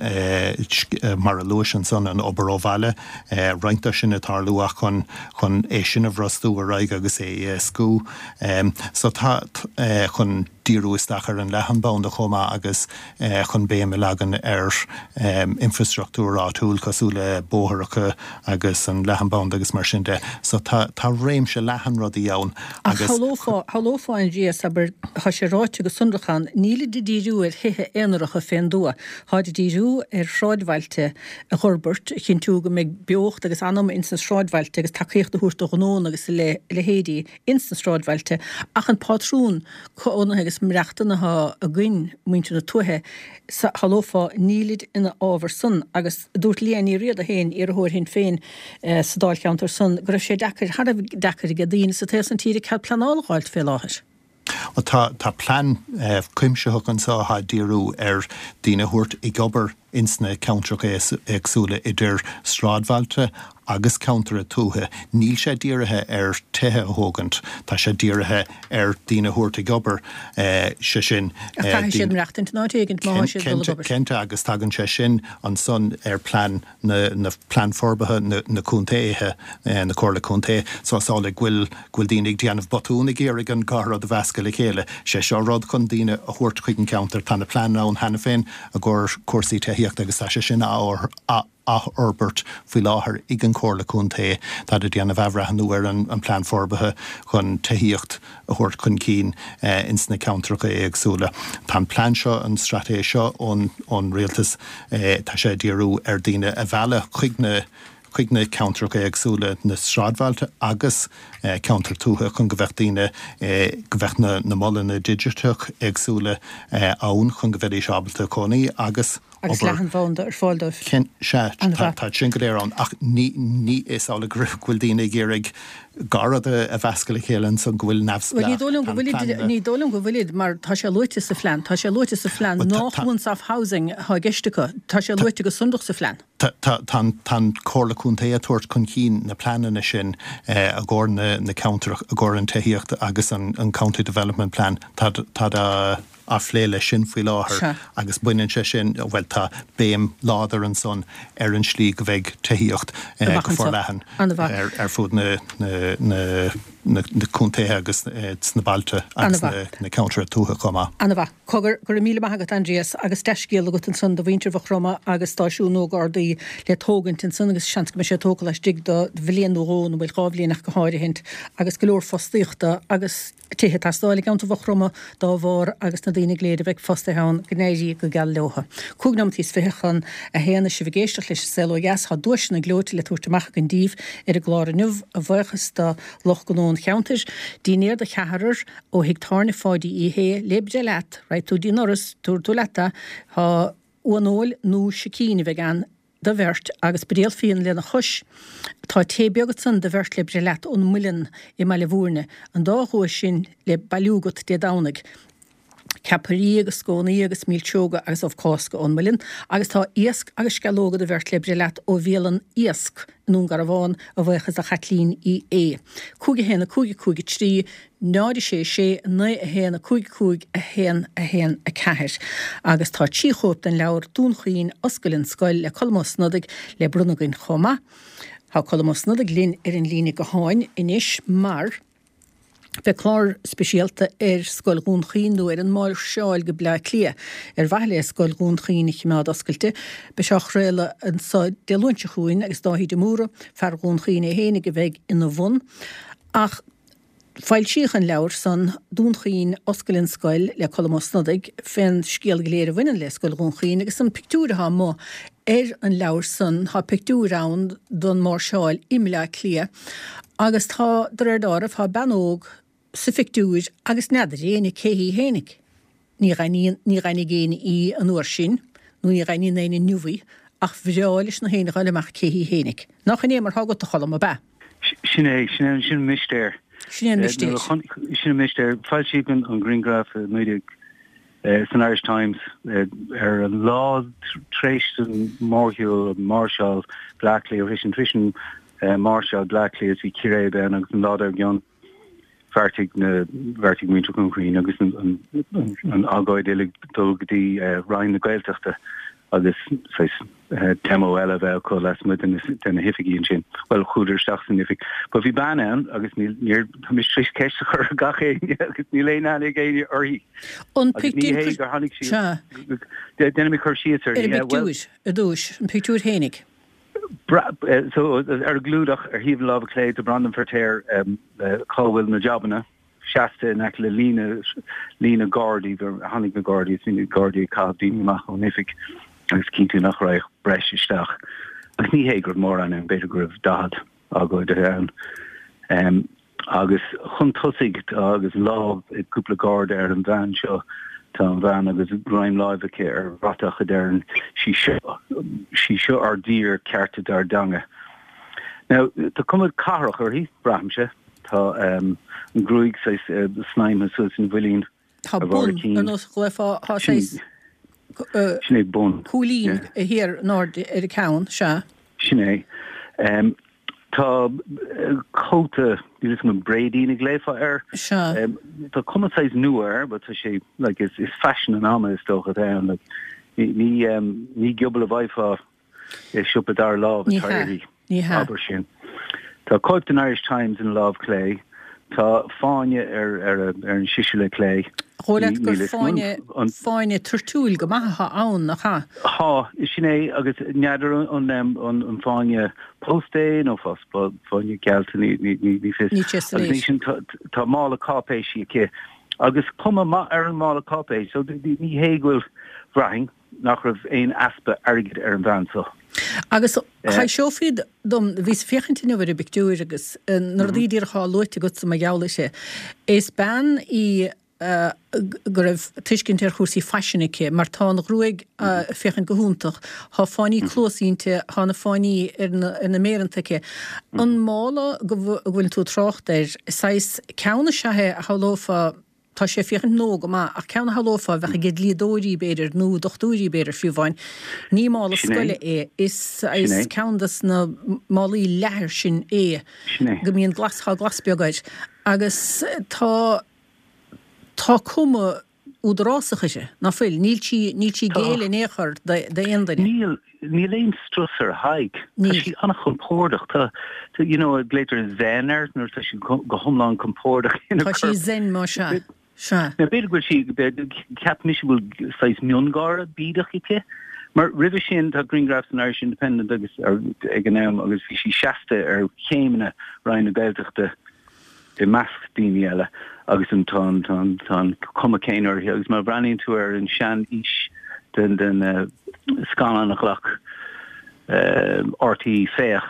mar a luais ansan, an obair ó bhaile, roinnt de sin ag tarlú ach chun chun é sin a bhrostú ar aghaidh agus é a éascú. So tá chun díriú isteach ar an leathanbhanda chomh maith agus chun béim a leagan ar infreastruchtúr áitiúil cosúil le bóithreacha agus an leathanbhanda agus mar sin de. So tá tá réimse leathan rudaí ann Ach agus. shamhlófá, shamhlófá Aindrias, abair, tá sé ráite go sonrach ann, nílid ag díriú ar thithe aonaracha fén dtuath, táid ag díriú ar shráidbhailte a dh'fhorbairt, a chinntiú go mbeidh beocht agus anam ins na sráidbhailte agus tacaíocht a thabhairt do ghnónna agus a leithéidí ins na sráidbhailte, ach an pátrún cónaithe agus maireachtana atá againn, muintir na tuaithe, shamhlófá, nílid ina fhábhar san agus dúirt Liadh Ní Riada féin, iarrthóir Shinn Féin sa dáilcheantar san, go raibh sé deacair, thar a bheith deacair aige daoine sa taobh san tíre cead pleanála a dh'fháilt fé láthair. Bhuel tá, tá plean cuimsitheach anso atá ag díriú ar daoine a thabhairt ag obair ins na ceantracha éagsúla idir sráidbhailte agus ceantair tuaithe. Níl sé dírithe ar tithe a thógaint, tá sé dírithe ar daoine a thabhairt ag obair, sé sin. Ach caithfidh siad maireachtaint in áit éigint má tá siad ag dul ag obair. Cinnte, agus tagann sé sin ansan ar plean na, na plean forbartha na, na contaetha, na Comhairle Contae. So is amhlaidh go bhfuil, go bhfuil daoine ag déanamh botún ag iarraidh an dhá rud a mheascadh le chéile. Sé seo rud chun daoine a thabhairt chuig an ceantar. Tá na pleananna ann cheana féin i gcomhair cúrsaí tithíochta agus tá sé sin á athfhorbairt faoi láthair ag an Chomhairle Contae. Táid ag déanamh athbhreithniú ar an bplean forbartha chun tithíocht a thabhairt chun cinn ins na ceantracha éagsúla. Tá an plean seo, an straitéis seo ón Rialtas, tá sé ag díriú ar daoine a mhealladh chuig na chuig na ceantracha éagsúla, na sráidbhailte agus ceantair tuaithe chun go bheadh daoine, go bheadh na na molanna digiteach éagsúla ann chun go bheidís ábalta cónaí agus Agus leathanbhanda ar fáil dóibh. Sea, tá sin go léir ann, ach ní ní is amhlaidh go bhfuil daoine ag iarraidh dhá rud a mheascadh le chéile ansan, go bhfuil neamhspleách. Ní dóigh liom go bhfuilid, ní dóigh liom go bhfuilid, mar tá sé luaite sa phlean, tá sé luaite sa phlean nach once-off housing atá i gceist acu, tá sé luaite go sonrach sa phlean. Tá an Chomhairle Contae ag tabhairt chun cinn na pleananna sin i gcomhair na ceantrach, i gcomhair an tithíocht agus an County Development Plan. Tá á phlé leis sin faoi láthair agus baineann sé sin, bhuel, tá béim láidir ansan ar an slí go bheidh tithíocht go forleathan ar fud na na contaetha agus sna bailte agus na ceantair tuaithe chomh maith. Ana-mhaith. Cogar, go raibh míle maith agat Aindrias agus dea-scéal agat ansan do mhuintir Mhaigh Chromtha agus stáisiún nua Gardaí le tógaint ansan agus seans go mbeidh sé tógtha laistigh de bhliain nó dhó nó bhuel dhá bhliain ach go háirithint agus go leor fostaíochta agus tithe ag teastáil i gceantar Mhaigh Chromtha dá bharr agus na daoine go léir a bheidh fostaithe ann go n-éirí go geal leotha. Cúig nóimeataí is fiche chun a haon is sibh ag éisteacht leis an Saol Ó Dheas. Tá duaiseanna gleoite le tabhairt amach againn daoibh ar an gclár inniu, a bhuíochas do lucht gnó an cheantair. Dinnéar do cheathrar ó thigh tábhairne Pháidí Uí Shé le breith leat, raghaidh tú dtí an doras, tabharfaidh tú leat é, tá uan-fheoil nó sicín a bheidh ann do bheirt agus buidéal fíona lena chois. Tá tae beag ansan do bheirt le breith leat ón Muileann i mBaile Bhúirne. An dá dhuais sin le bailiú agat Dé Domhnaigh. Ceapairí agus scónaí agus milseoga agus ubh Cásca ón Muileann. Agus tá iasc agus sceallóga do bheirt le breith leat ó bhialann Iasc i nDún Garbhán, a bhuíochas do Chaitlín Uí Aodha. Cúig a haon a cúig a cúig a trí. náid a sé sé naoi a haon a cúig cúig a haon a haon a ceathair Agus tá trí chóip den leabhar Dún Chaoin, Oscail an Scoil le Colm Ó Snodaigh le bronnadh againn chomh maith. Tá Colm Ó Snodaigh linn ar an líne gutháin anois mar beidh clár speisialta ar Scoil Dhún Chaoin nó ar an máirseáil go Bleá Cliath ar mhaithe le Scoil Dhún Chaoin a choimeád oscailte. Beidh sé á chraoladh anso Dé Luain seo chugainn agus Dáithí de Mórdha, fear Dhún Chaoin é fhéinig a bheidh ina bhun. Ach foilsíodh an leabhar san, Dún Chaoin, Oscail an Scoil, le Colm Ó Snodaigh, fén scéal go léir a bhaineann le Scoil Dhún Chaoin agus an pictiúr atá amuigh ar an leabhar san, tá pictiúr ann don máirseáil i mBleá Cliath agus tá, de réir dealraimh, tá bean óg sa phictiúr agus n'fheadar éinne cé hí fhéinig. Ní dh'aithníonn, ní dh'aithnigh éinne í an uair sin, nó ní dh'aithníonn éinne inniu í, ach bhreá leis na héinne a dh'fháil amach cé hí fhéinig. Nach in é mar thá agat, a Choilm, ab ea? Sin é, sin é, sin an mistéir. Sin é an mistéir. Sin an mistéir. Foilsíodh an grianghraf i naoi déag san Irish Times ar an lá tar éis an mórshiúl, an máirseáil Bleá Cliath, tar éis an máirseáil Bleá Cliath is bhí círéib ann agus an lá dár gcionn bheartaigh na bheartaigh muintir Dhún Chaoin agus an an agóid uilig dul go dtí Roinn na Gaeltachta agus saghas demo eile a bheith acu lasmuigh de na de na hoifigí ansin. Bhuel, chuadar isteach san oifig. But bhí bean ann agus níl níor tá mise tar éis ceist a chur ar gach éinne agus níl aon aithne ag éinne uirthi. An Agus ní pictiúr hé gur tháinig sí Sea. Déanfaidh mé cur síos Ar uirthi. an Yeah, well, bpictiúr ar dtúis, an pictiúr fhéinig. So, ar an gclúdach, ar thaobh na láimhe clé, tá Breandán Feirtéar, cá bhfuil na jabanna, seasta in aice le líne, líne gardaí, tháinig na gardaí, is bhí na gardaí ag caitheamh daoine amach ón oifig agus cinntiú nach raghadh breis isteach. Agus ní hé go raibh mórán ann, b'fhéidir go raibh daichead agóidithe ann. Agus chun tosaigh tá, agus lámh ag cúpla garda ar an bhean seo, tá an bhean agus greim láimhe aici ar bhratach a deireann 'Sí seo, sí seo ár dtír, cearta dár dteanga. Now, tá cuma cathrach uirthi, braithimse. Tá an ghruaig saghas snaidhmthe suas ina bhuilín Tá ar bharr bun, a cinn. ar nós ghlaofá, tá saghas Sin é bun. cúilín thiar in airde ar a ceann, sea. Sin é. Tá cóta, níl 'fhios agam an bréidín a ghlaofá air. Sea. Tá cuma saghas nua air, but tá sé, like, is is faisean an ama is dócha atá ann, like, ní ní ní giobal a bhfaighfeá i siopa dara lámh Ní atá hea. uirthi, Ní hea. abair sin. Tá cóip den Irish Times ina lámh clé. Tá fáinne ar ar ar an sisile clé. Dhóigh leat Ní gur níl 'fhios agam fáinne an fáinne toirtiúil go maith atá ann, nach ea? Tá, sin é, agus n'fheadar an an an fáinne pósta é nó fáinne geallta, ní ní ní ní fios. Níl sé Agus soiléir. ansin tá tá mála cáipéisí aici agus cuma maith ar an mála cáipéis, so ní hé go bhfuil, bhraithfinn, nach raibh aon easpa airgid ar an bhean seo. Agus thaibhseofaí dom, bhíos ag féachaint inniu ar an bpictiúr agus na rudaí díreach atá luaite agatsa mar gheall uirthi. Is bean í go raibh tuiscint ar chúrsaí faisin aici, mar tá an ghruaig ag féachaint go hiontach, tá fáinní cluas inti, tá na fáinní ar na méireanta aici. An mála go bhfuil tú ag trácht air, saghas ceann is ea é a shamhlófá, tá sé ag féachaint nua go maith, ach ceann a shamhlófá a bheadh ag dlíodóirí b'fhéidir nó dochtúirí b'fhéidir fiú amháin. Ní mála scoile é, is saghas ceann des na málaí leathair sin é, go mbíonn glas, tá glas beag air agus tá. Tá cuma údarásach uirthi, ná fuil? Níl sí, níl sí ag géilleadh in aon chor d'aon duine. Níl, níl aon strus ar a haghaidh. Tá sí an-chompordach. Tá, you know, glaoitear zen air nuair atá sí go hiomlán compordach ina corp. Tá sí zen, má sea. Sea. Now, b'fhéidir go bhfuil sí, cheap mise go bhfuil saghas miongháire bídeach aici. Mar roimhe sin tá grianghraf san Irish Independent agus ag an am agus bhí sí seasta ar chéimeanna Roinn na Gaeltachta. i measc daoine eile agus an tá an tá an tá an cuma céanna uirthi agus má bhreathnaíonn tú ar an sean-fhís den den scannán a ghlac RTÉ Féach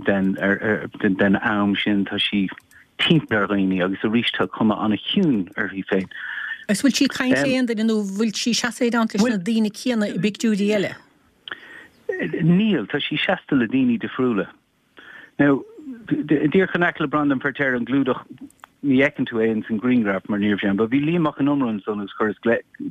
den ar ar den den am sin tá sí timpeall ar dhaoine agus arís tá cuma an-chiúin uirthi féin. Agus bhfuil sí ag caint le aon duine nó bhfuil sí seasta i dteannta leis na daoine céanna i bpictiúirí eile? Níl, tá sí seasta le daoine difriúla. Now, díreach in aice le Breandán Feirtéar an clúdach, ní fheiceann tú é ins an ghrianghraf mar ní raibh sé ann, but bhí Liam Mac Con Iomaire ansan agus chuireas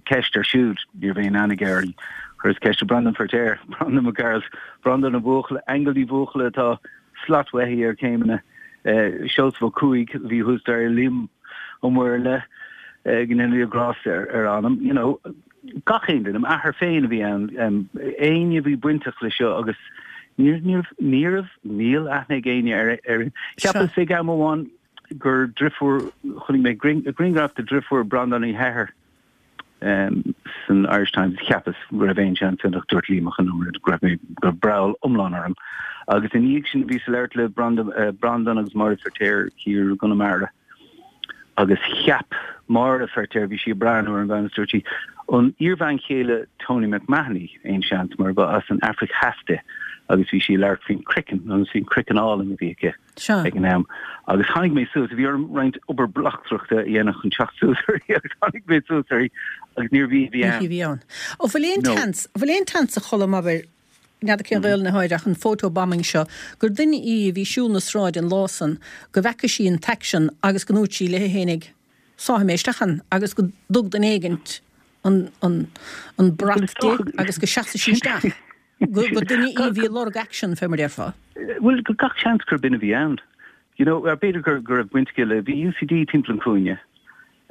ceist air siúd, ní raibh aon aithne aige uirthi, chuireas ceist ar Breandán Feirtéar, Breandán Mac Gearailt, Breandán Ó Buachalla, Aingeal Ní Bhuachalla atá slat uaithi ar chéimeanna, Seosamh Ó Cuaig a bhí thuas there, Liam Ó Muirthile, go ndéana Dia grásta ar a anam, you know. gach aon duine, m'athair féin a bhí ann, éinne a bhí bainteach le seo agus níor, níor, ní raibh, níl aithne ag éinne ar, ar, cheapas ag am amháin gur driofúr, chonaic mé grianghraf de dhriofúr Breandán Uí hEithir san Irish Times, cheapas go raibh aon seans ann ach dúirt Liam Mac Con Iomaire go raibh mé, go raibh breall iomlán orm. Agus ina dhiaidh sin bhíos ag labhairt le Breandán agus Máire Feirtéar thiar i gConamara. Agus cheap Máire Feirtéar, bhí sí ag breathnú ar an bhean agus dúirt sí, an iarbhean chéile Tony McMahon í, aon seans, mar ba as an Afraic Theas di agus bhí sí ag labhairt faoin craiceann agus faoin craiceann álainn a bhí aici ag an am. Agus tháinig mé suas, bhí orm roinnt obair bleachtaireachta a dhéanamh chun teacht suas uirthi agus tháinig mé suas uirthi agus níorbh í a bhí ann. Ní hí a bhí ann. An bhfuil aon tseans, an bhfuil aon tseans a Cholm, abair, n'fheadar cén Ghaelainn atá air ach an photobombing seo, gur duine í a bhí ag siúl na sráide an lá san, go bhfeaca sí an t-aicsean agus go ndúirt sí léi fhéinig, sáfaidh mé isteach ann agus go dtug duine éigint an, an, an brat di agus go seasfaidh sí isteach. Go, gur duine í a bhí ag lorg aicsean, fé mar déarfá. Bhuel, gach seans gur b'in a bhí ann. You know, b'fhéidir gur, go raibh baint aici le, bhí UCD timpeall an chúinne.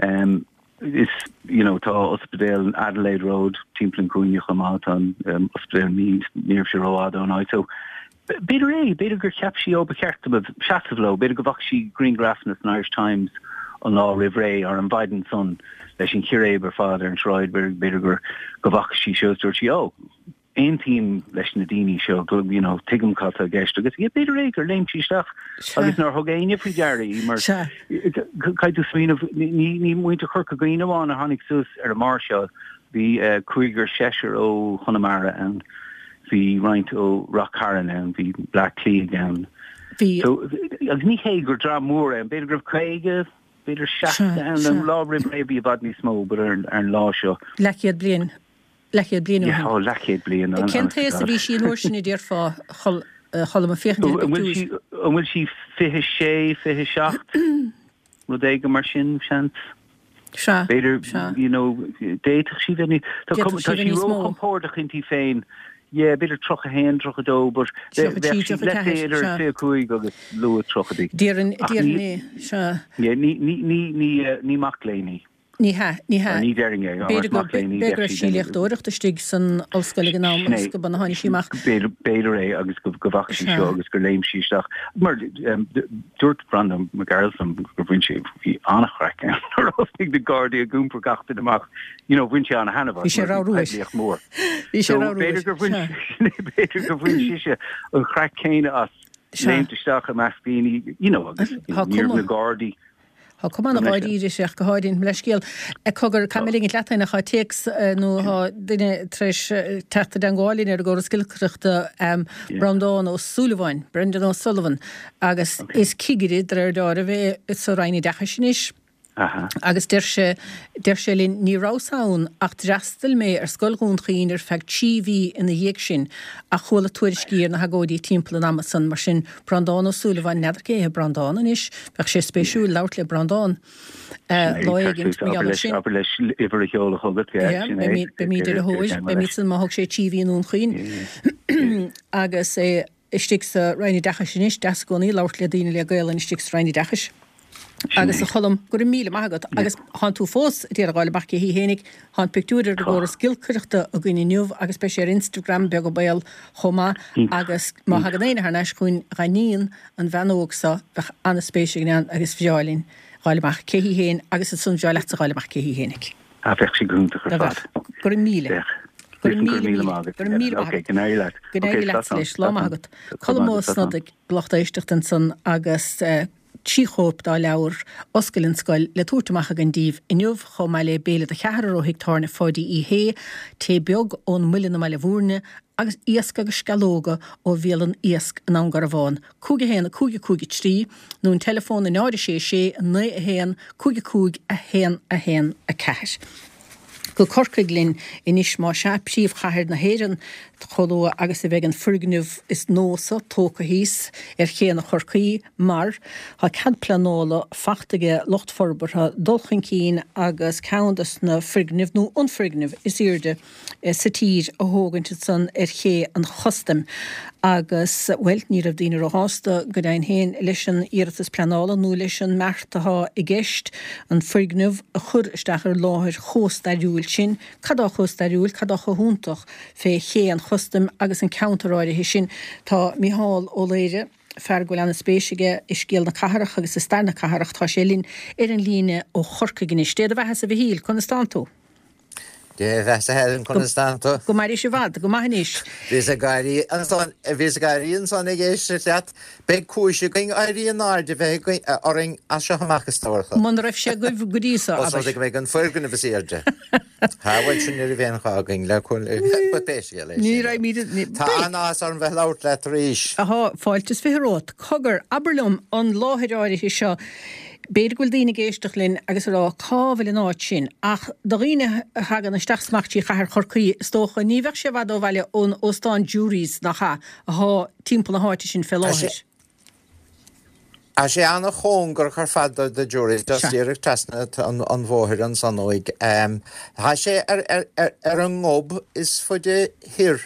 Um, Is, you know, tá ospidéal Adelaide Road timpeall an chúinne chomh maith, tá an ospidéal Mead, ní raibh sé rófhada ón áit. So, b'fhéidir é, b'fhéidir gur cheap sí, ó, ba cheart dom seasamh leo, b'fhéidir go bhfaca sí grianghrafanna san Irish Times an lá roimh ré, ar an mhaidin san, leis an chíréib ar fad ar an tsráid, b'fhéidir gur, go bhfaca sí seo is dúirt sí, ó, aontaím leis na daoine seo, you know, tuigim cad tá i gceist agus yeah, b'fhéidir é gur léim sí isteach agus nár thug éinne faoi deara í mar caithfidh tú smaoineamh, ní, ní muintir Chorca Dhuibhne amháin a tháinig suas ar an máirseáil, bhí uh, cúigear seisear ó Chonamara ann, bhí roinnt ó Ráth Cairn ann, bhí Bleá Cliath ann. Bhí. So, agus ní hé gur dream mór é, b'fhéidir go raibh caoga, b'fhéidir seasca ann, an lá roimh ré bhí i bhfad níos mó, but ar, ar an lá seo. Leathchéad bliain. Leathchéad bliain ó shin. Ó, leathchéad bliain. Cén t-aois a bhí sí an uair sin a déarfá, a Cholm, ag féachaint ar an bpictiúr? An bhfuil sí fiche sé, fiche seacht, rud éigin mar sin, seans? Sea, B'fhéidir, you know, d'fhéadfadh sí bheith níos, tá sí róchompordach inti féin, yeah, b'fhéidir tríocha haon, tríocha dó, but bheadh sí, let's say, idir fiche cúig agus luath tríochaidí. Déarfainn, déarfainn é, sea. Yeah, ní, ní, ní, ní, ní mac léinn í. Ní hea, ní hea. Ní déarfainn é. B'fhéidir go, b'fhéidir go raibh sí ag léachtóireacht istigh san ollscoil ag an am agus go b'in a tháinig sí amach. B'fhéidir é agus go bhfaca sí seo agus gur léim sí isteach. Mar dúirt Breandán Mac Gearailt liom gur bhain sé, bhí an-chraic ann nuair a thosnaigh na Gardaí ag iompar gach duine amach. You know, bhain sé an-thaitneamh as mar bhí poiblíocht mhór. Bhí sé So ramhar b'fhéidir gur bhain, b'fhéidir gur bhain sise an chraic chéanna as léimt isteach i measc daoine, you know, agus ní raibh na Gardaí Tá cuma ana dháiríre uirthi ach go háirithe. Mo leithscéal. Cogar, caithfidh mé ligint leat féin ach tá téacs nó tá duine tar éis teacht i dteangmháil linn ar an gcóras giolcaireachta, Breandán Ó Súilleabháin, Brendan O'Sullivan, agus is cigire de réir dealraimh é sa Roinn Oideachais anois. Agus deir sé, deir sé linn, ní rabhas ann ach d'fhreastail mé ar Scoil Dhún Chaoin ar feadh trí mhí ina dhiaidh sin ach chuala tuairiscí ar na hagóidí timpeall an ama san, mar sin Breandán Ó Súilleabháin, n'fheadar cé hé Breandán anois, bheadh sé spéisiúil labhairt le Breandán lá éigin mar gheall air sin. Abair leis uimhir a sheoladh chugat, yeah, sin é. Beimid ar a thóir, beimid san má thug sé trí mhí i nDún Chaoin agus é istigh sa Roinn Oideachais anois, deas i gcónaí labhairt le daoine le Gaelainn istigh sa Roinn Oideachais. Agus a Cholm, go raibh míle maith agat. Agus thánn tú fós ag iarraidh a fháil amach cé hí fhéinig. Thá an pictiúr ar an gcóras giolcaireachta againn inniu agus beidh sé ar Instagram beag an baol chomh maith. Agus má thagann éinne thar n-ais chugainn dá níon, an bhean óg so, bheadh an-spéis againn ann agus bhreá linn fháil amach cé hí fhéin agus ansan bhreá leatsa fháil amach cé hí fhéinig. Ah, bheadh sé go hiontach ar fad. Go raibh míle. Bheadh. Go raibh Go míle míle míle. maith agat. Go raibh míle maith Ok, agat. go n-éirí leat. Go Ok, n-éirí leat slán. leis. Lá maith agat. Colm Ó Slán. Snodaigh, lucht éisteachta ansan agus eh, trí chóip dá leabhar Oscail an Scoil le tabhairt amach againn daoibh inniu chomh maith le béile do cheathrar ó Thigh Tábhairne Pháidí Uí Shé, tae beag ón Muileann i mBaile Bhúirne agus iasc agus sceallóga ó Bhialann Iasc i nDún Garbhán. Cúig a haon a cúig a cúig a trí nó an teileafón a náid a sé sé naoi a haon cúig a cúig a haon a haon a ceathair. Go Corcaigh linn anois más ea, príomhchathair na hÉireann, chomh luath agus a bheidh an foirgneamh is nósa tógtha thíos ar chéanna Chorcaí mar tá cead pleanála fachta ag lucht forbartha dul chun cinn agus ceann de na foirgnimh nó an foirgneamh is airde sa tír a thógaint ansan ar ché an chustaim. Agus, bhuel, ní raibh daoine róshásta go deimhin féin leis an iarratas pleanála nó leis an mbeart atá i gceist an foirgneamh a chur isteach ar láthair chomh stairiúil sin. Cad atá chomh stairiúil, cad atá chomh hiontach fé ché an chustaim agus an ceantar áirithe sin? Tá Micheál Ó Laoire, fear go bhfuil an-spéis aige i scéal na cathrach agus i stair na cathrach, tá sé linn ar an líne ó Chorcaigh anois. Dé do bheatha-sa a Mhichíl, conas tánn tú? Dé bheatha Helen, conas tánn tú? Go mairí i bhfad, go maith anois. Bhíos ag gáirí ansan, bhíos ag gáirí ansan ag éisteacht leat. Beidh cúis againn éirí in airde bheith orainn as seo amach is dócha. Muna raibh sé agaibh go dtí seo, Os rud abair. é go mbeidh an foirgneamh is airde. Tá, bhuel sin ní raibh aon ghá againn le but pé scéal é Ní sin. raibh míle, ní, Tá beidh. an-áthas orm bheith labhairt leat arís. Ahá, fáilte is fiche romhat. Cogar, abair liom an láthair áirithe seo. B'fhéidir go bhfuil daoine ag éisteacht linn agus ag rá cá bhfuil an áit sin, ach do dhaoine a thagann isteach is amach trí chathair Chorcaí, is dócha, ní bheadh sé i bhfad ó bhaile ón óstán Jury's nach ea, athá timpeall na háite sin fé Tá sé láthair. Tá sé an-chóngarach ar fad do do Jury's, just Sea. díreach trasna an, an bhóthair ansan uaidh. Tá sé ar, ar, ar, ar an ngob is faide thoir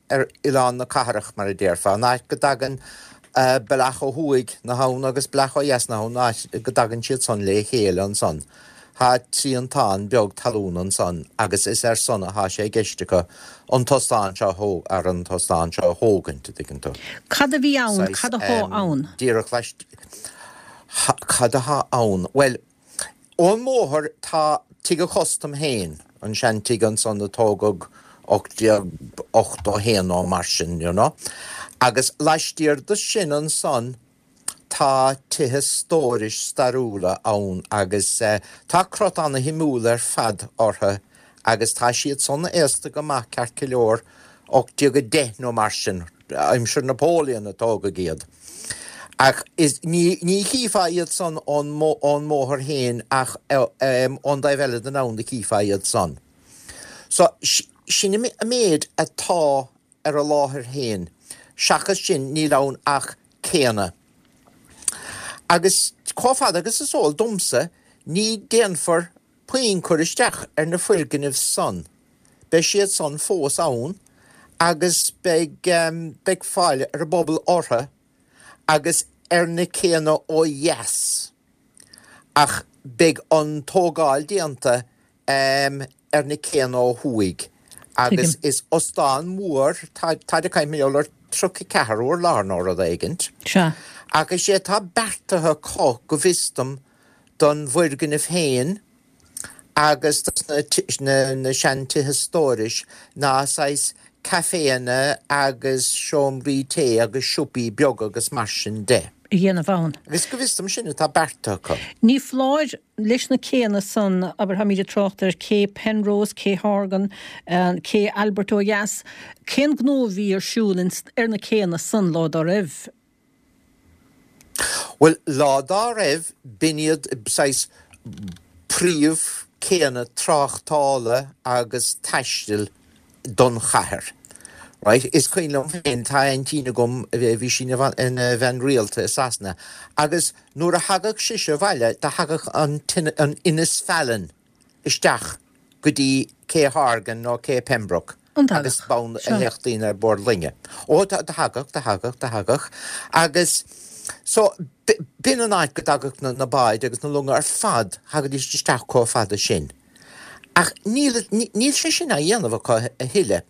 ar oileán na cathrach, mar a déarfá, an áit go dtagann bealach ó thuaidh na habhann agus bealach ó dheas na habhann, áit go dtagann siad san le chéile ansan. Tá triantán beag talún ansan agus is ar san atá sé i gceist acu an t-óstán seo a thó- ar an t-óstán seo a thógaint, a dtuigeann tú. Cad a bhí ann, Saghas, cad athá em, ann? Díreach leis, ha, cad athá ann? Bhuel, ón mbóthar tá Tigh an Chustaim féin, an seantigh ansan a tógadh ocht déag ochtó a haon nó mar sin, you know. Agus laistiar de sin ansan tá tithe stórais stairiúla ann agus eh, tá crot an-shuimiúil ar fad orthu agus tá siad san aosta go maith ceart go leor ocht déag a deich nó mar sin, aimsir Napoleon a tógadh iad. Ach is, ní, ní chífeá iad san ón, ón mbóthar féin ach eh, em, ón dtaobh eile den abhainn a chífeá iad san. So, sin an méid atá ar an láthair féin. Seachas sin níl ann ach céanna. Agus chomh fada agus is eol domsa, ní déanfar puinn cur isteach ar na foirgnimh san. Beidh siad san fós ann agus beidh, beidh fáil ar an bpobal orthu agus ar na céanna ó dheas. Ach beidh an tógáil déanta ar na céanna ó thuaidh. Agus Tuigim. is óstán mór, tá tá ag caint mar gheall ar tríocha ceathair urlár nó rud éigint. Sea. Ach is é atá beartaithe acu go bhfios dom don bhfoirgneamh féin agus dos na na seantithe stórais ná saghas caiféanna agus seomraí tae agus siopaí beaga agus mar sin de. a dhéanamh ann. Agus go bhfios dom sin atá beartaithe acu. Ní foláir leis na céanna san, abair, táimid ag trácht ar Cé Penrose, Cé Horgan, Cé Albert ó dheas, cén gnó a bhí ar siúl ar na céanna san lá dá raibh? Bhuel, lá dá raibh, b'in iad saghas príomhchéanna tráchtála agus taistil don chathair. Right? Is cuimhin liom féin, tá aintín agam, bhí sí ina bhean rialta i Sasana, agus nuair a thagadh sise abhaile, do thagadh an an Innisfallen isteach go dtí Cé Horgan nó Cé Pembroke. Agus b'ann a théadh daoine ar bord loinge. Ó, do thagadh, do thagadh, do thagadh. Agus so, b'in an áit go dtagadh na báid agus na longa ar fad, thagaidís isteach chomh fada sin. Ach níl, níl sé sin á dhéanamh acu a thuilleadh.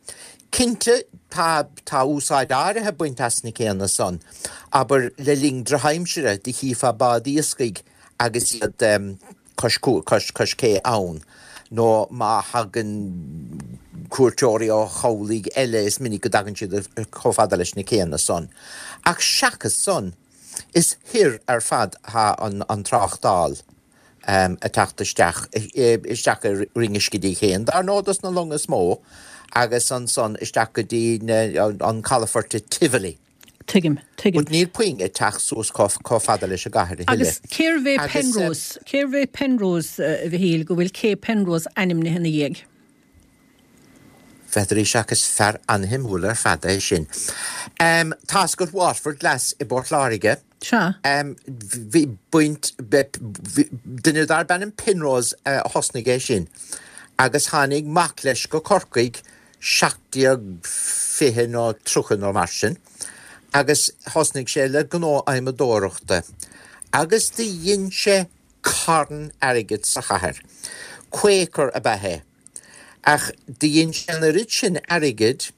Cinnte, tá, tá úsáid áirithe bainte as na céanna san, abair le linn drochaimsire, do chífeá báid iascaigh agus iad cois, cois, cois cé ann, nó má thagann cuairteoirí ó chabhlaigh eile is minic go dtagann siad chomh fada leis na céanna san. Ach seachas san, is thoir ar fad atá an, an tráchtáil. ag teacht isteach, isteach i Rinn Uisce féin, dar ndóigh dos na longa is mó, agus ansan isteach go dtí an calafort i Tivoli. Tuigim, tuigim. But níl puinn ag teacht suas chomh fada leis an gcathair a thuilleadh. Agus cérbh é Penrose, cérbh é Penrose, a Mhichíl, go bhfuil Cé Penrose ainmnithe ina dhiaidh? N'fheadar ach is fear an-shuimiúil ar fad é sin. Tá's agat Waterford Glass i bPort Láirge. Sea. Bhí baint, duine darb ainm Penrose a thosnaigh é sin agus tháinig mac leis go Corcaigh seacht déag fiche nó tríocha nó mar sin agus thosnaigh sé le gnó adhmadóireachta agus do dhein sé carn airgid sa chathair. Quaker ab ea é. Ach do dhein sé an oiread sin airgid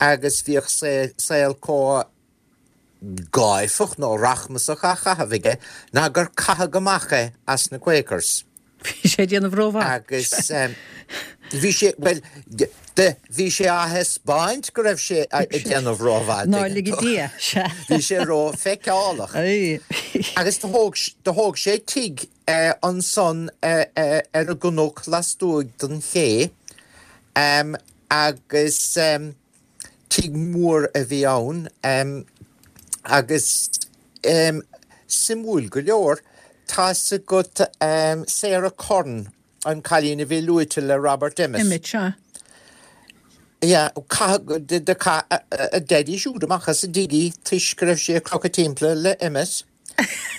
agus bhíodh saol chomh gáifeach nó rachmasach á chaitheamh aige ná gur caitheadh amach é as na Quakers. Bhí sé ag déanamh rómhaith. Agus bhí sé, bhuel, bhí sé á thaispeáint go raibh sé ag déanamh rómhaith. Ná lige Dia, sea. Bhí sé rófheiceálach. Agus do thóg sé tigh ansan ar an gcnoc lastuaidh den ché agus tigh mór a bhí ann agus suimiúil go leor, tá's agat Sarah Curran, an cailín a bhí luaite le Robert Emmet. Emmet, sea. Yeah, caitheadh, do chaith a daidí siúd amach as an dtigh í toisc go raibh sí ag crochadh timpeall le Emmet.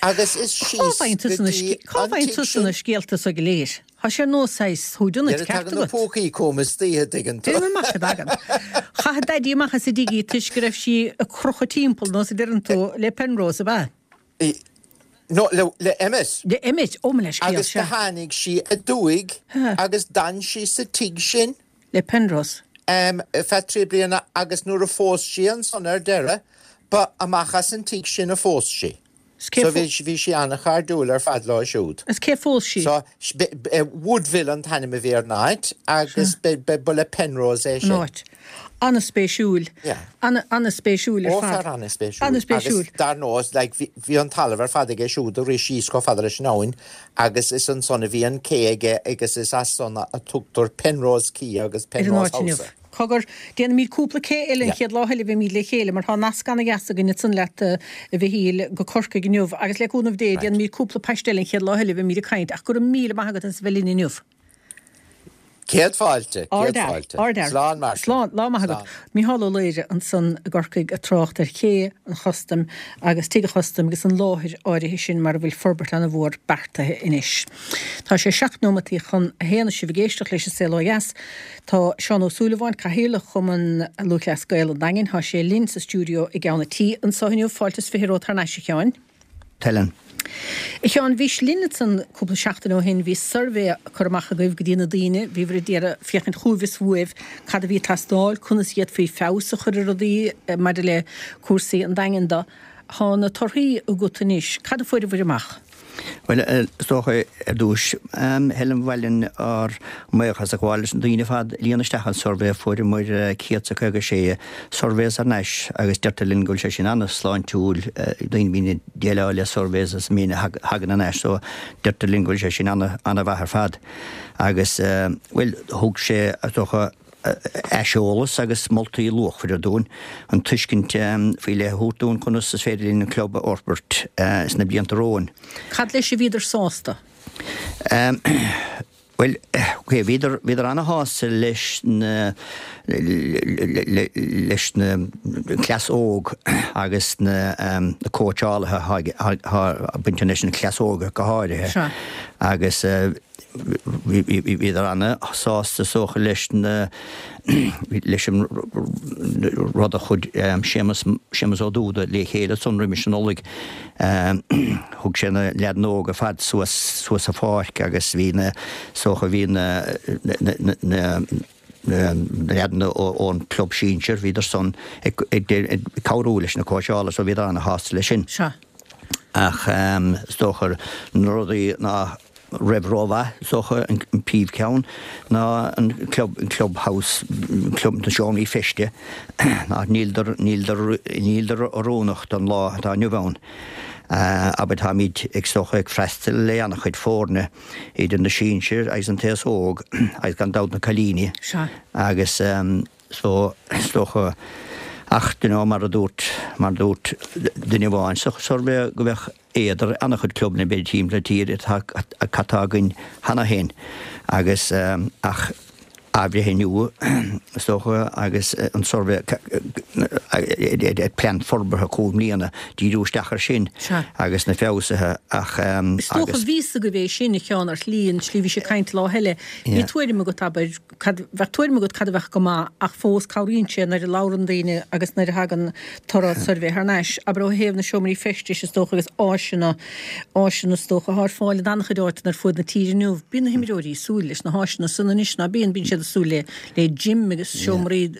Agus is síos go dtí Cá an bhfaigheann tigh tusa na sin. scéalta so go léir? Tá sé ar nós saghas whodunit, Nuair a ceart tagann na agat? púcaí chugam istoíche, tuigeann tú. Déanfaidh amach a dtagann. Chaith a daidí amach as an dtigh í toisc go raibh sí ag crochadh timpeall, nós a deireann tú, le Penrose, ab ea? No, le, le Emmet. Le Emmet, ó mo leithscéal, Agus do sea. tháinig sí aduaidh agus d'fhan sí sa tigh sin. Le Penrose. Ar feadh trí bliana agus nuair a phós sí ansan ar deireadh, ba amach as an tigh sin a phós sí. So bhí bhí sí an-chairdiúil ar fad leo siúd. Is cé phós sí? So Woodville an t-ainm a bhí ar an áit agus ba le Penrose é sin. An áit. An-spéisiúil. Yeah. An-spéisiúil ar Ó, fad. fear an-spéisiúil. An-spéisiúil. Agus dar ndóigh, like, bhí an talamh ar fad aige siúd a rith síos chomh fada leis an abhainn agus is ansan a bhí an cé aige agus is as san a tugtar Penrose Quay agus Ar an Penrose áit inniu. House. Cogar, déanfaimid cúpla cé eile an Yeah. chéad lá eile a bheimid le chéile mar tá nasc an-dheas againn ansan leat, a Mhichíl, go Corcaigh inniu agus le cúnamh Dé Right. déanfaimid cúpla post eile an chéad lá eile a bheimid ag caint ach go raibh míle maith agat as a bheith linn inniu. Céad fáilte, céad Ardfhear, fáilte. ardfhear. Slán mar sin. Slán, lá maith agat. Slán. Mícheál Ó Laoire ansan i gCorcaigh ag trácht ar ché an chustaim agus tigh an chustaim agus an láthair áirithe sin mar a bhfuil forbairt an-mhór beartaithe anois. Tá sé seacht nóimeataí chun a haon is sibh ag éisteacht leis an Saol Ó Dheas. Tá Seán Ó Súilleabháin, Cathaoirleach Chumann Lúthchleas Gael an Daingin, tá sé linn sa stiúideo i gceann an tí anseo inniu. Fáilte is fiche romhat thar n-ais, a Sheáin. Helen. A Sheáin, bhís linn ansan cúpla seachtain ó shin, bhí suirbhé curtha amach agaibh go dtí na daoine, bhíobhair ag iarraidh féachaint chugaibh is uaibh cad a bhí ag teastáil, conas a d'fhéadfaí feabhas a chur ar rudaí maidir le cúrsaí an Daingin do. Tá na torthaí agat anois, cad a fuaireabhair amach? Bhuel, is dócha ar dtús, Helen, ba mhaith linn ár mbuíochas a ghabháil leis na daoine ar fad a líon isteach an suirbhé. Fuaireamar céad is a caoga sé surveys thar n-ais agus deirtear linn go bhfuil sé sin an-sláintiúil, daoine a bhíonn ag déileáil le surveys is an méid a thagann thar n-ais so deirtear linn go bhfuil sé sin an-mhaith ar fad. Agus, bhuel, thug sé, is dócha, aiseolas agus moltaí luachmhara dúinn, an tuiscint faoi leith a thabhairt dúinn conas is féidir linn an club a fhorbairt sna blianta romhainn. Cad leis a bhíodar sásta? Um, Well, okay, bhíodar bhíodar ana-shásta leis na leis na cleas óg agus na um, na cóitseálaithe bainte leis na cleas óga go háirithe. Sure. Agus uh, bhíodar ana-shásta is dócha leis na leis an rud a chuir Séamus Séamus Ó Dúda le chéile san roimis an Nollaig thug sé na leaideanna óga fad suas suas sa pháirc agus bhí na is dócha bhí na na na leaideanna ón club sinsir bhíodar san ag cabhrú leis na cóitseálaithe so bhíodar ana-shásta leis sin. Seo. Ach is dócha na rudaí ná raibh rómhaith is dócha an príomhcheann ná an club an clubhouse club na seomraí feiste ná níldar níldar níldar oiriúnach don lá atá inniu ann. Abair táimid ag is dócha ag freastal le an-chuid foirne idir na sinsir agus an t-aos óg agus gan dabht na cailíní agus so is dócha ach you know mar a dúirt mar a dúirt duine amháin sa suirbhé go mbeadh éad ar an-chuid clubanna b'fhéidir timpeall na tíre atá atá againn cheana féin agus ach athbhreithniú is dócha agus an suirbhé plean forbartha cúig mbliana díriú isteach ar sin agus na feabhsuithe ach Is dócha agus bhí a fhios agaibh é sin a Sheáin ar shlí an tslí bhí sé ag caint lá eile. Bhí tuairim agat abair cad bheadh tuairim agat cad a bheadh go maith ach fós cabhraíonn sé nuair a labhrann daoine agus nuair a thagann toradh suirbhé thar n-ais. Abair ó thaobh na seomraí feistis is dócha agus áiseanna áiseanna is dócha atá ar fáil in an-chuid áiteanna ar fud na tíre inniu. Bíonn na himreoirí ag súil leis na háiseanna san anois ná bíonn bíonn siad ag súil le le gym agus seomraí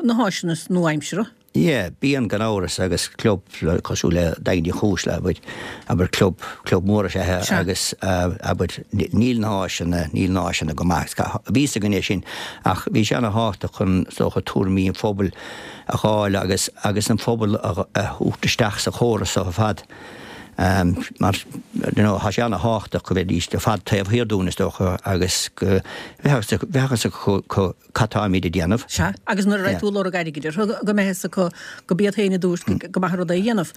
na háiseanna nua-aimseartha. Yeah, bíonn gan amhras agus club cosúil le Daingean Uí Chúis abair abair club club mór is ea é agus abair níl na háiseanna níl na háiseanna go maith. Bhí a fhios againn é sin ach bhí sé ana-thábhachtach chun is dócha tuairimí an phobail a fháil agus agus an phobal a thabhairt isteach sa chóras seo ar fad. Mar you know tá sé ana-thábhachtach go mbeidís ar fad taobh thiar dúinn is dócha agus go bheadh a fhios acu cad táimid ag déanamh. Sea, agus nuair a raibh tú ag lorg airgid orthu go mbeadh a fhios acu go b'iad féin a dúirt go maith an rud é a dhéanamh.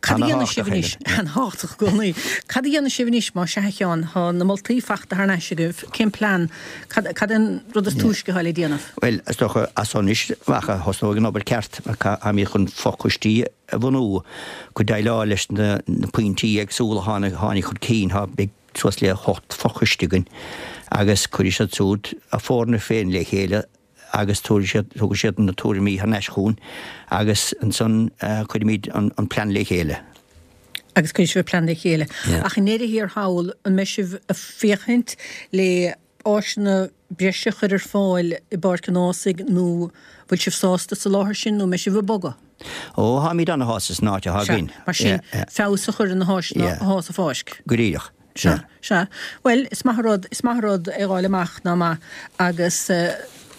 Cad a dhéanfaidh sibh anois? Ana-thábhachtach i gcónaí. Cad a dhéanfaidh sibh anois má sea a Sheáin, tá na moltaí fachta thar n-ais agaibh, cén plean, cad cad é an rud is túisce atá le déanamh? Bhuel, is dócha as seo anois amach a thosnóidh an obair ceart mar táimid chun fochoistí a bhunú chun déileáil leis na pointí éagsúla a tháinig chun cinn. Tá beidh suas le hocht fochoiste againn agus cuirfidh siad siúd a foirne féin le chéile agus tabharfaidh siad, tabharfaidh siad na tuairimí thar n-ais chugainn agus ansan cuirfimid an plean le chéile. Agus cuirfidh sibh an plean le chéile. Ach i ndeireadh thiar thall, an mbeidh sibh ag féachaint le áiseanna breise a chur ar fáil i bPáirc an Ághasaigh nó bhfuil sibh sásta sa láthair sin nó mbeidh sibh ag bogadh? Ó, táimid ana-shásta san áit atá againn. Sea, mar sin, feabhas a chur ar na háiseanna atá sa pháirc. Go díreach. Sea, sea. Bhuel, is maith an rud, is maith an rud é a fháil amach ná maith agus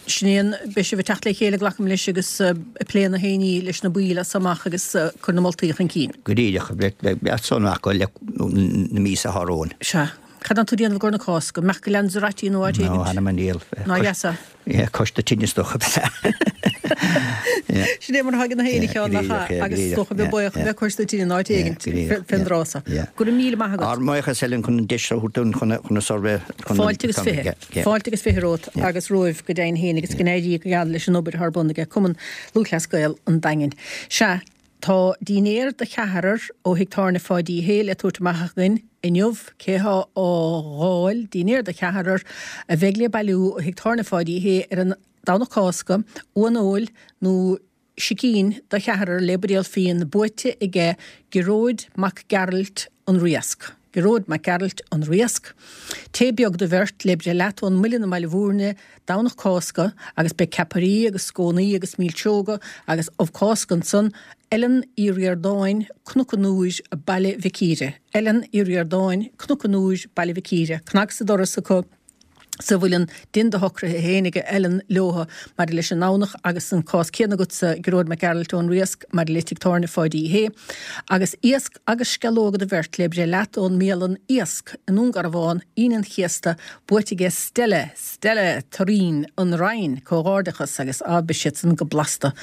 sin é an, beidh sibh ag teacht le chéile, glacaim leis, agus ag plé na haon ní leis na baill as amach agus cur na moltaí chun cinn. Go díreach, beidh san acu le na míosa atá romhainn. Sea. Cad tá tú ag déanamh i gcomhair na Cásca? Amach go Lanzarote nó áit éigin? Nó th'anam 'on diabhal. Ná dheasa. Yeah, cois na tine is dócha. Sin é mar atá ag na héinne ceann nach ea? Agus is dócha bheith buíoch a bheith cois na tine in áit éigin fén dtráth so. Go raibh míle maith agat. Ár mbuíochas Helen chun an deis a thabhairt dúinn chun an suirbhé chun Fáilte agus fiche. Fáilte agus fiche romhat agus romhaibh go deimhin féin agus go n-éirí go geal leis an obair atá ar bun aige Cumann Lúthchleas Gael an Daingin. Sea, Tá dinnéar do cheathrar ó thigh tábhairne Pháidí Uí Shé le tabhairt amach againn inniu. Cé thá á dh'fháil? Dinnéar do cheathrar a bheidh le bailiú ó thigh tábhairne Pháidí Uí Shé ar an Domhnach Cásca, uan óil nó sicín do cheathrar le buidéal fíon buaite aige Gearóid Mac Gearailt, An Riasc. Gearóid Mac Gearailt, An Riasc. Tae beag do bheirt le breith leat ón Muileann i mBaile Bhúirne, Domhnach Cásca, agus beidh ceapairí agus scónaí agus milseoga agus ubh Cásca ansan, Ellen Uí Ríordáin, Cnoc an Iúir, Baile Mhic Íre. Ellen Uí Ríordáin, Cnoc an Iúir, Baile Mhic Íre. Cnag sa doras acu. sa bhfuil an dian de shocruithe féin ag Ellen leotha maidir leis an nDomhnach agus an cás céanna agatsa Gearóid Mac Gearailt ón Riasc maidir le Tigh Tábhairne Pháidí Uí Shé agus iasc agus sceallóga do bheirt le breith leat ón mbialann Iasc i nDún Garbhán Aoine an Chéasta buaite aige Stella Stella Turraoin An Rinn Comhghairdeachas agus á beidh siad san go blasta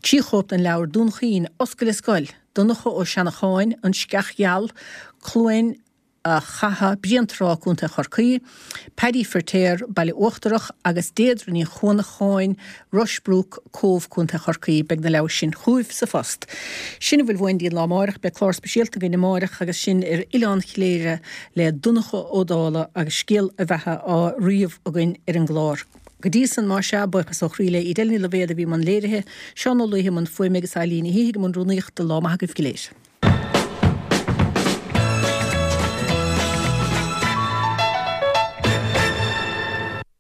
Trí chóip den leabhar Dún Chaoin, Oscail an Scoil, Donncha Ó Seanacháin, An Sceach Gheal, Cluain Chatha, Bréantrá, Contae Chorcaí, Paddy Firtéar, Baile Uachtarach, agus Deirdre Ní Chuanacháin, Rushbrook, Cóbh, Contae Chorcaí. Beidh na leabhair sin chugaibh sa phost. Sin a bhfuil uainn go dtí an lá amáireach. Beidh clár speisialta againn amáireach agus sinn ar Oileán Chléire le Donncha Ó Dálaigh agus scéal a bheatha á ríomh againn ar an gclár. Go dtí san, más ea, buíochas ó chroí le Edel Ní Loibhéad a bhí i mbun léirithe, Seán Ó Laoithe i mbun fuaime agus Eileen Ní Shíthigh i mbun rúnaíochta. Lá maith agaibh go léir.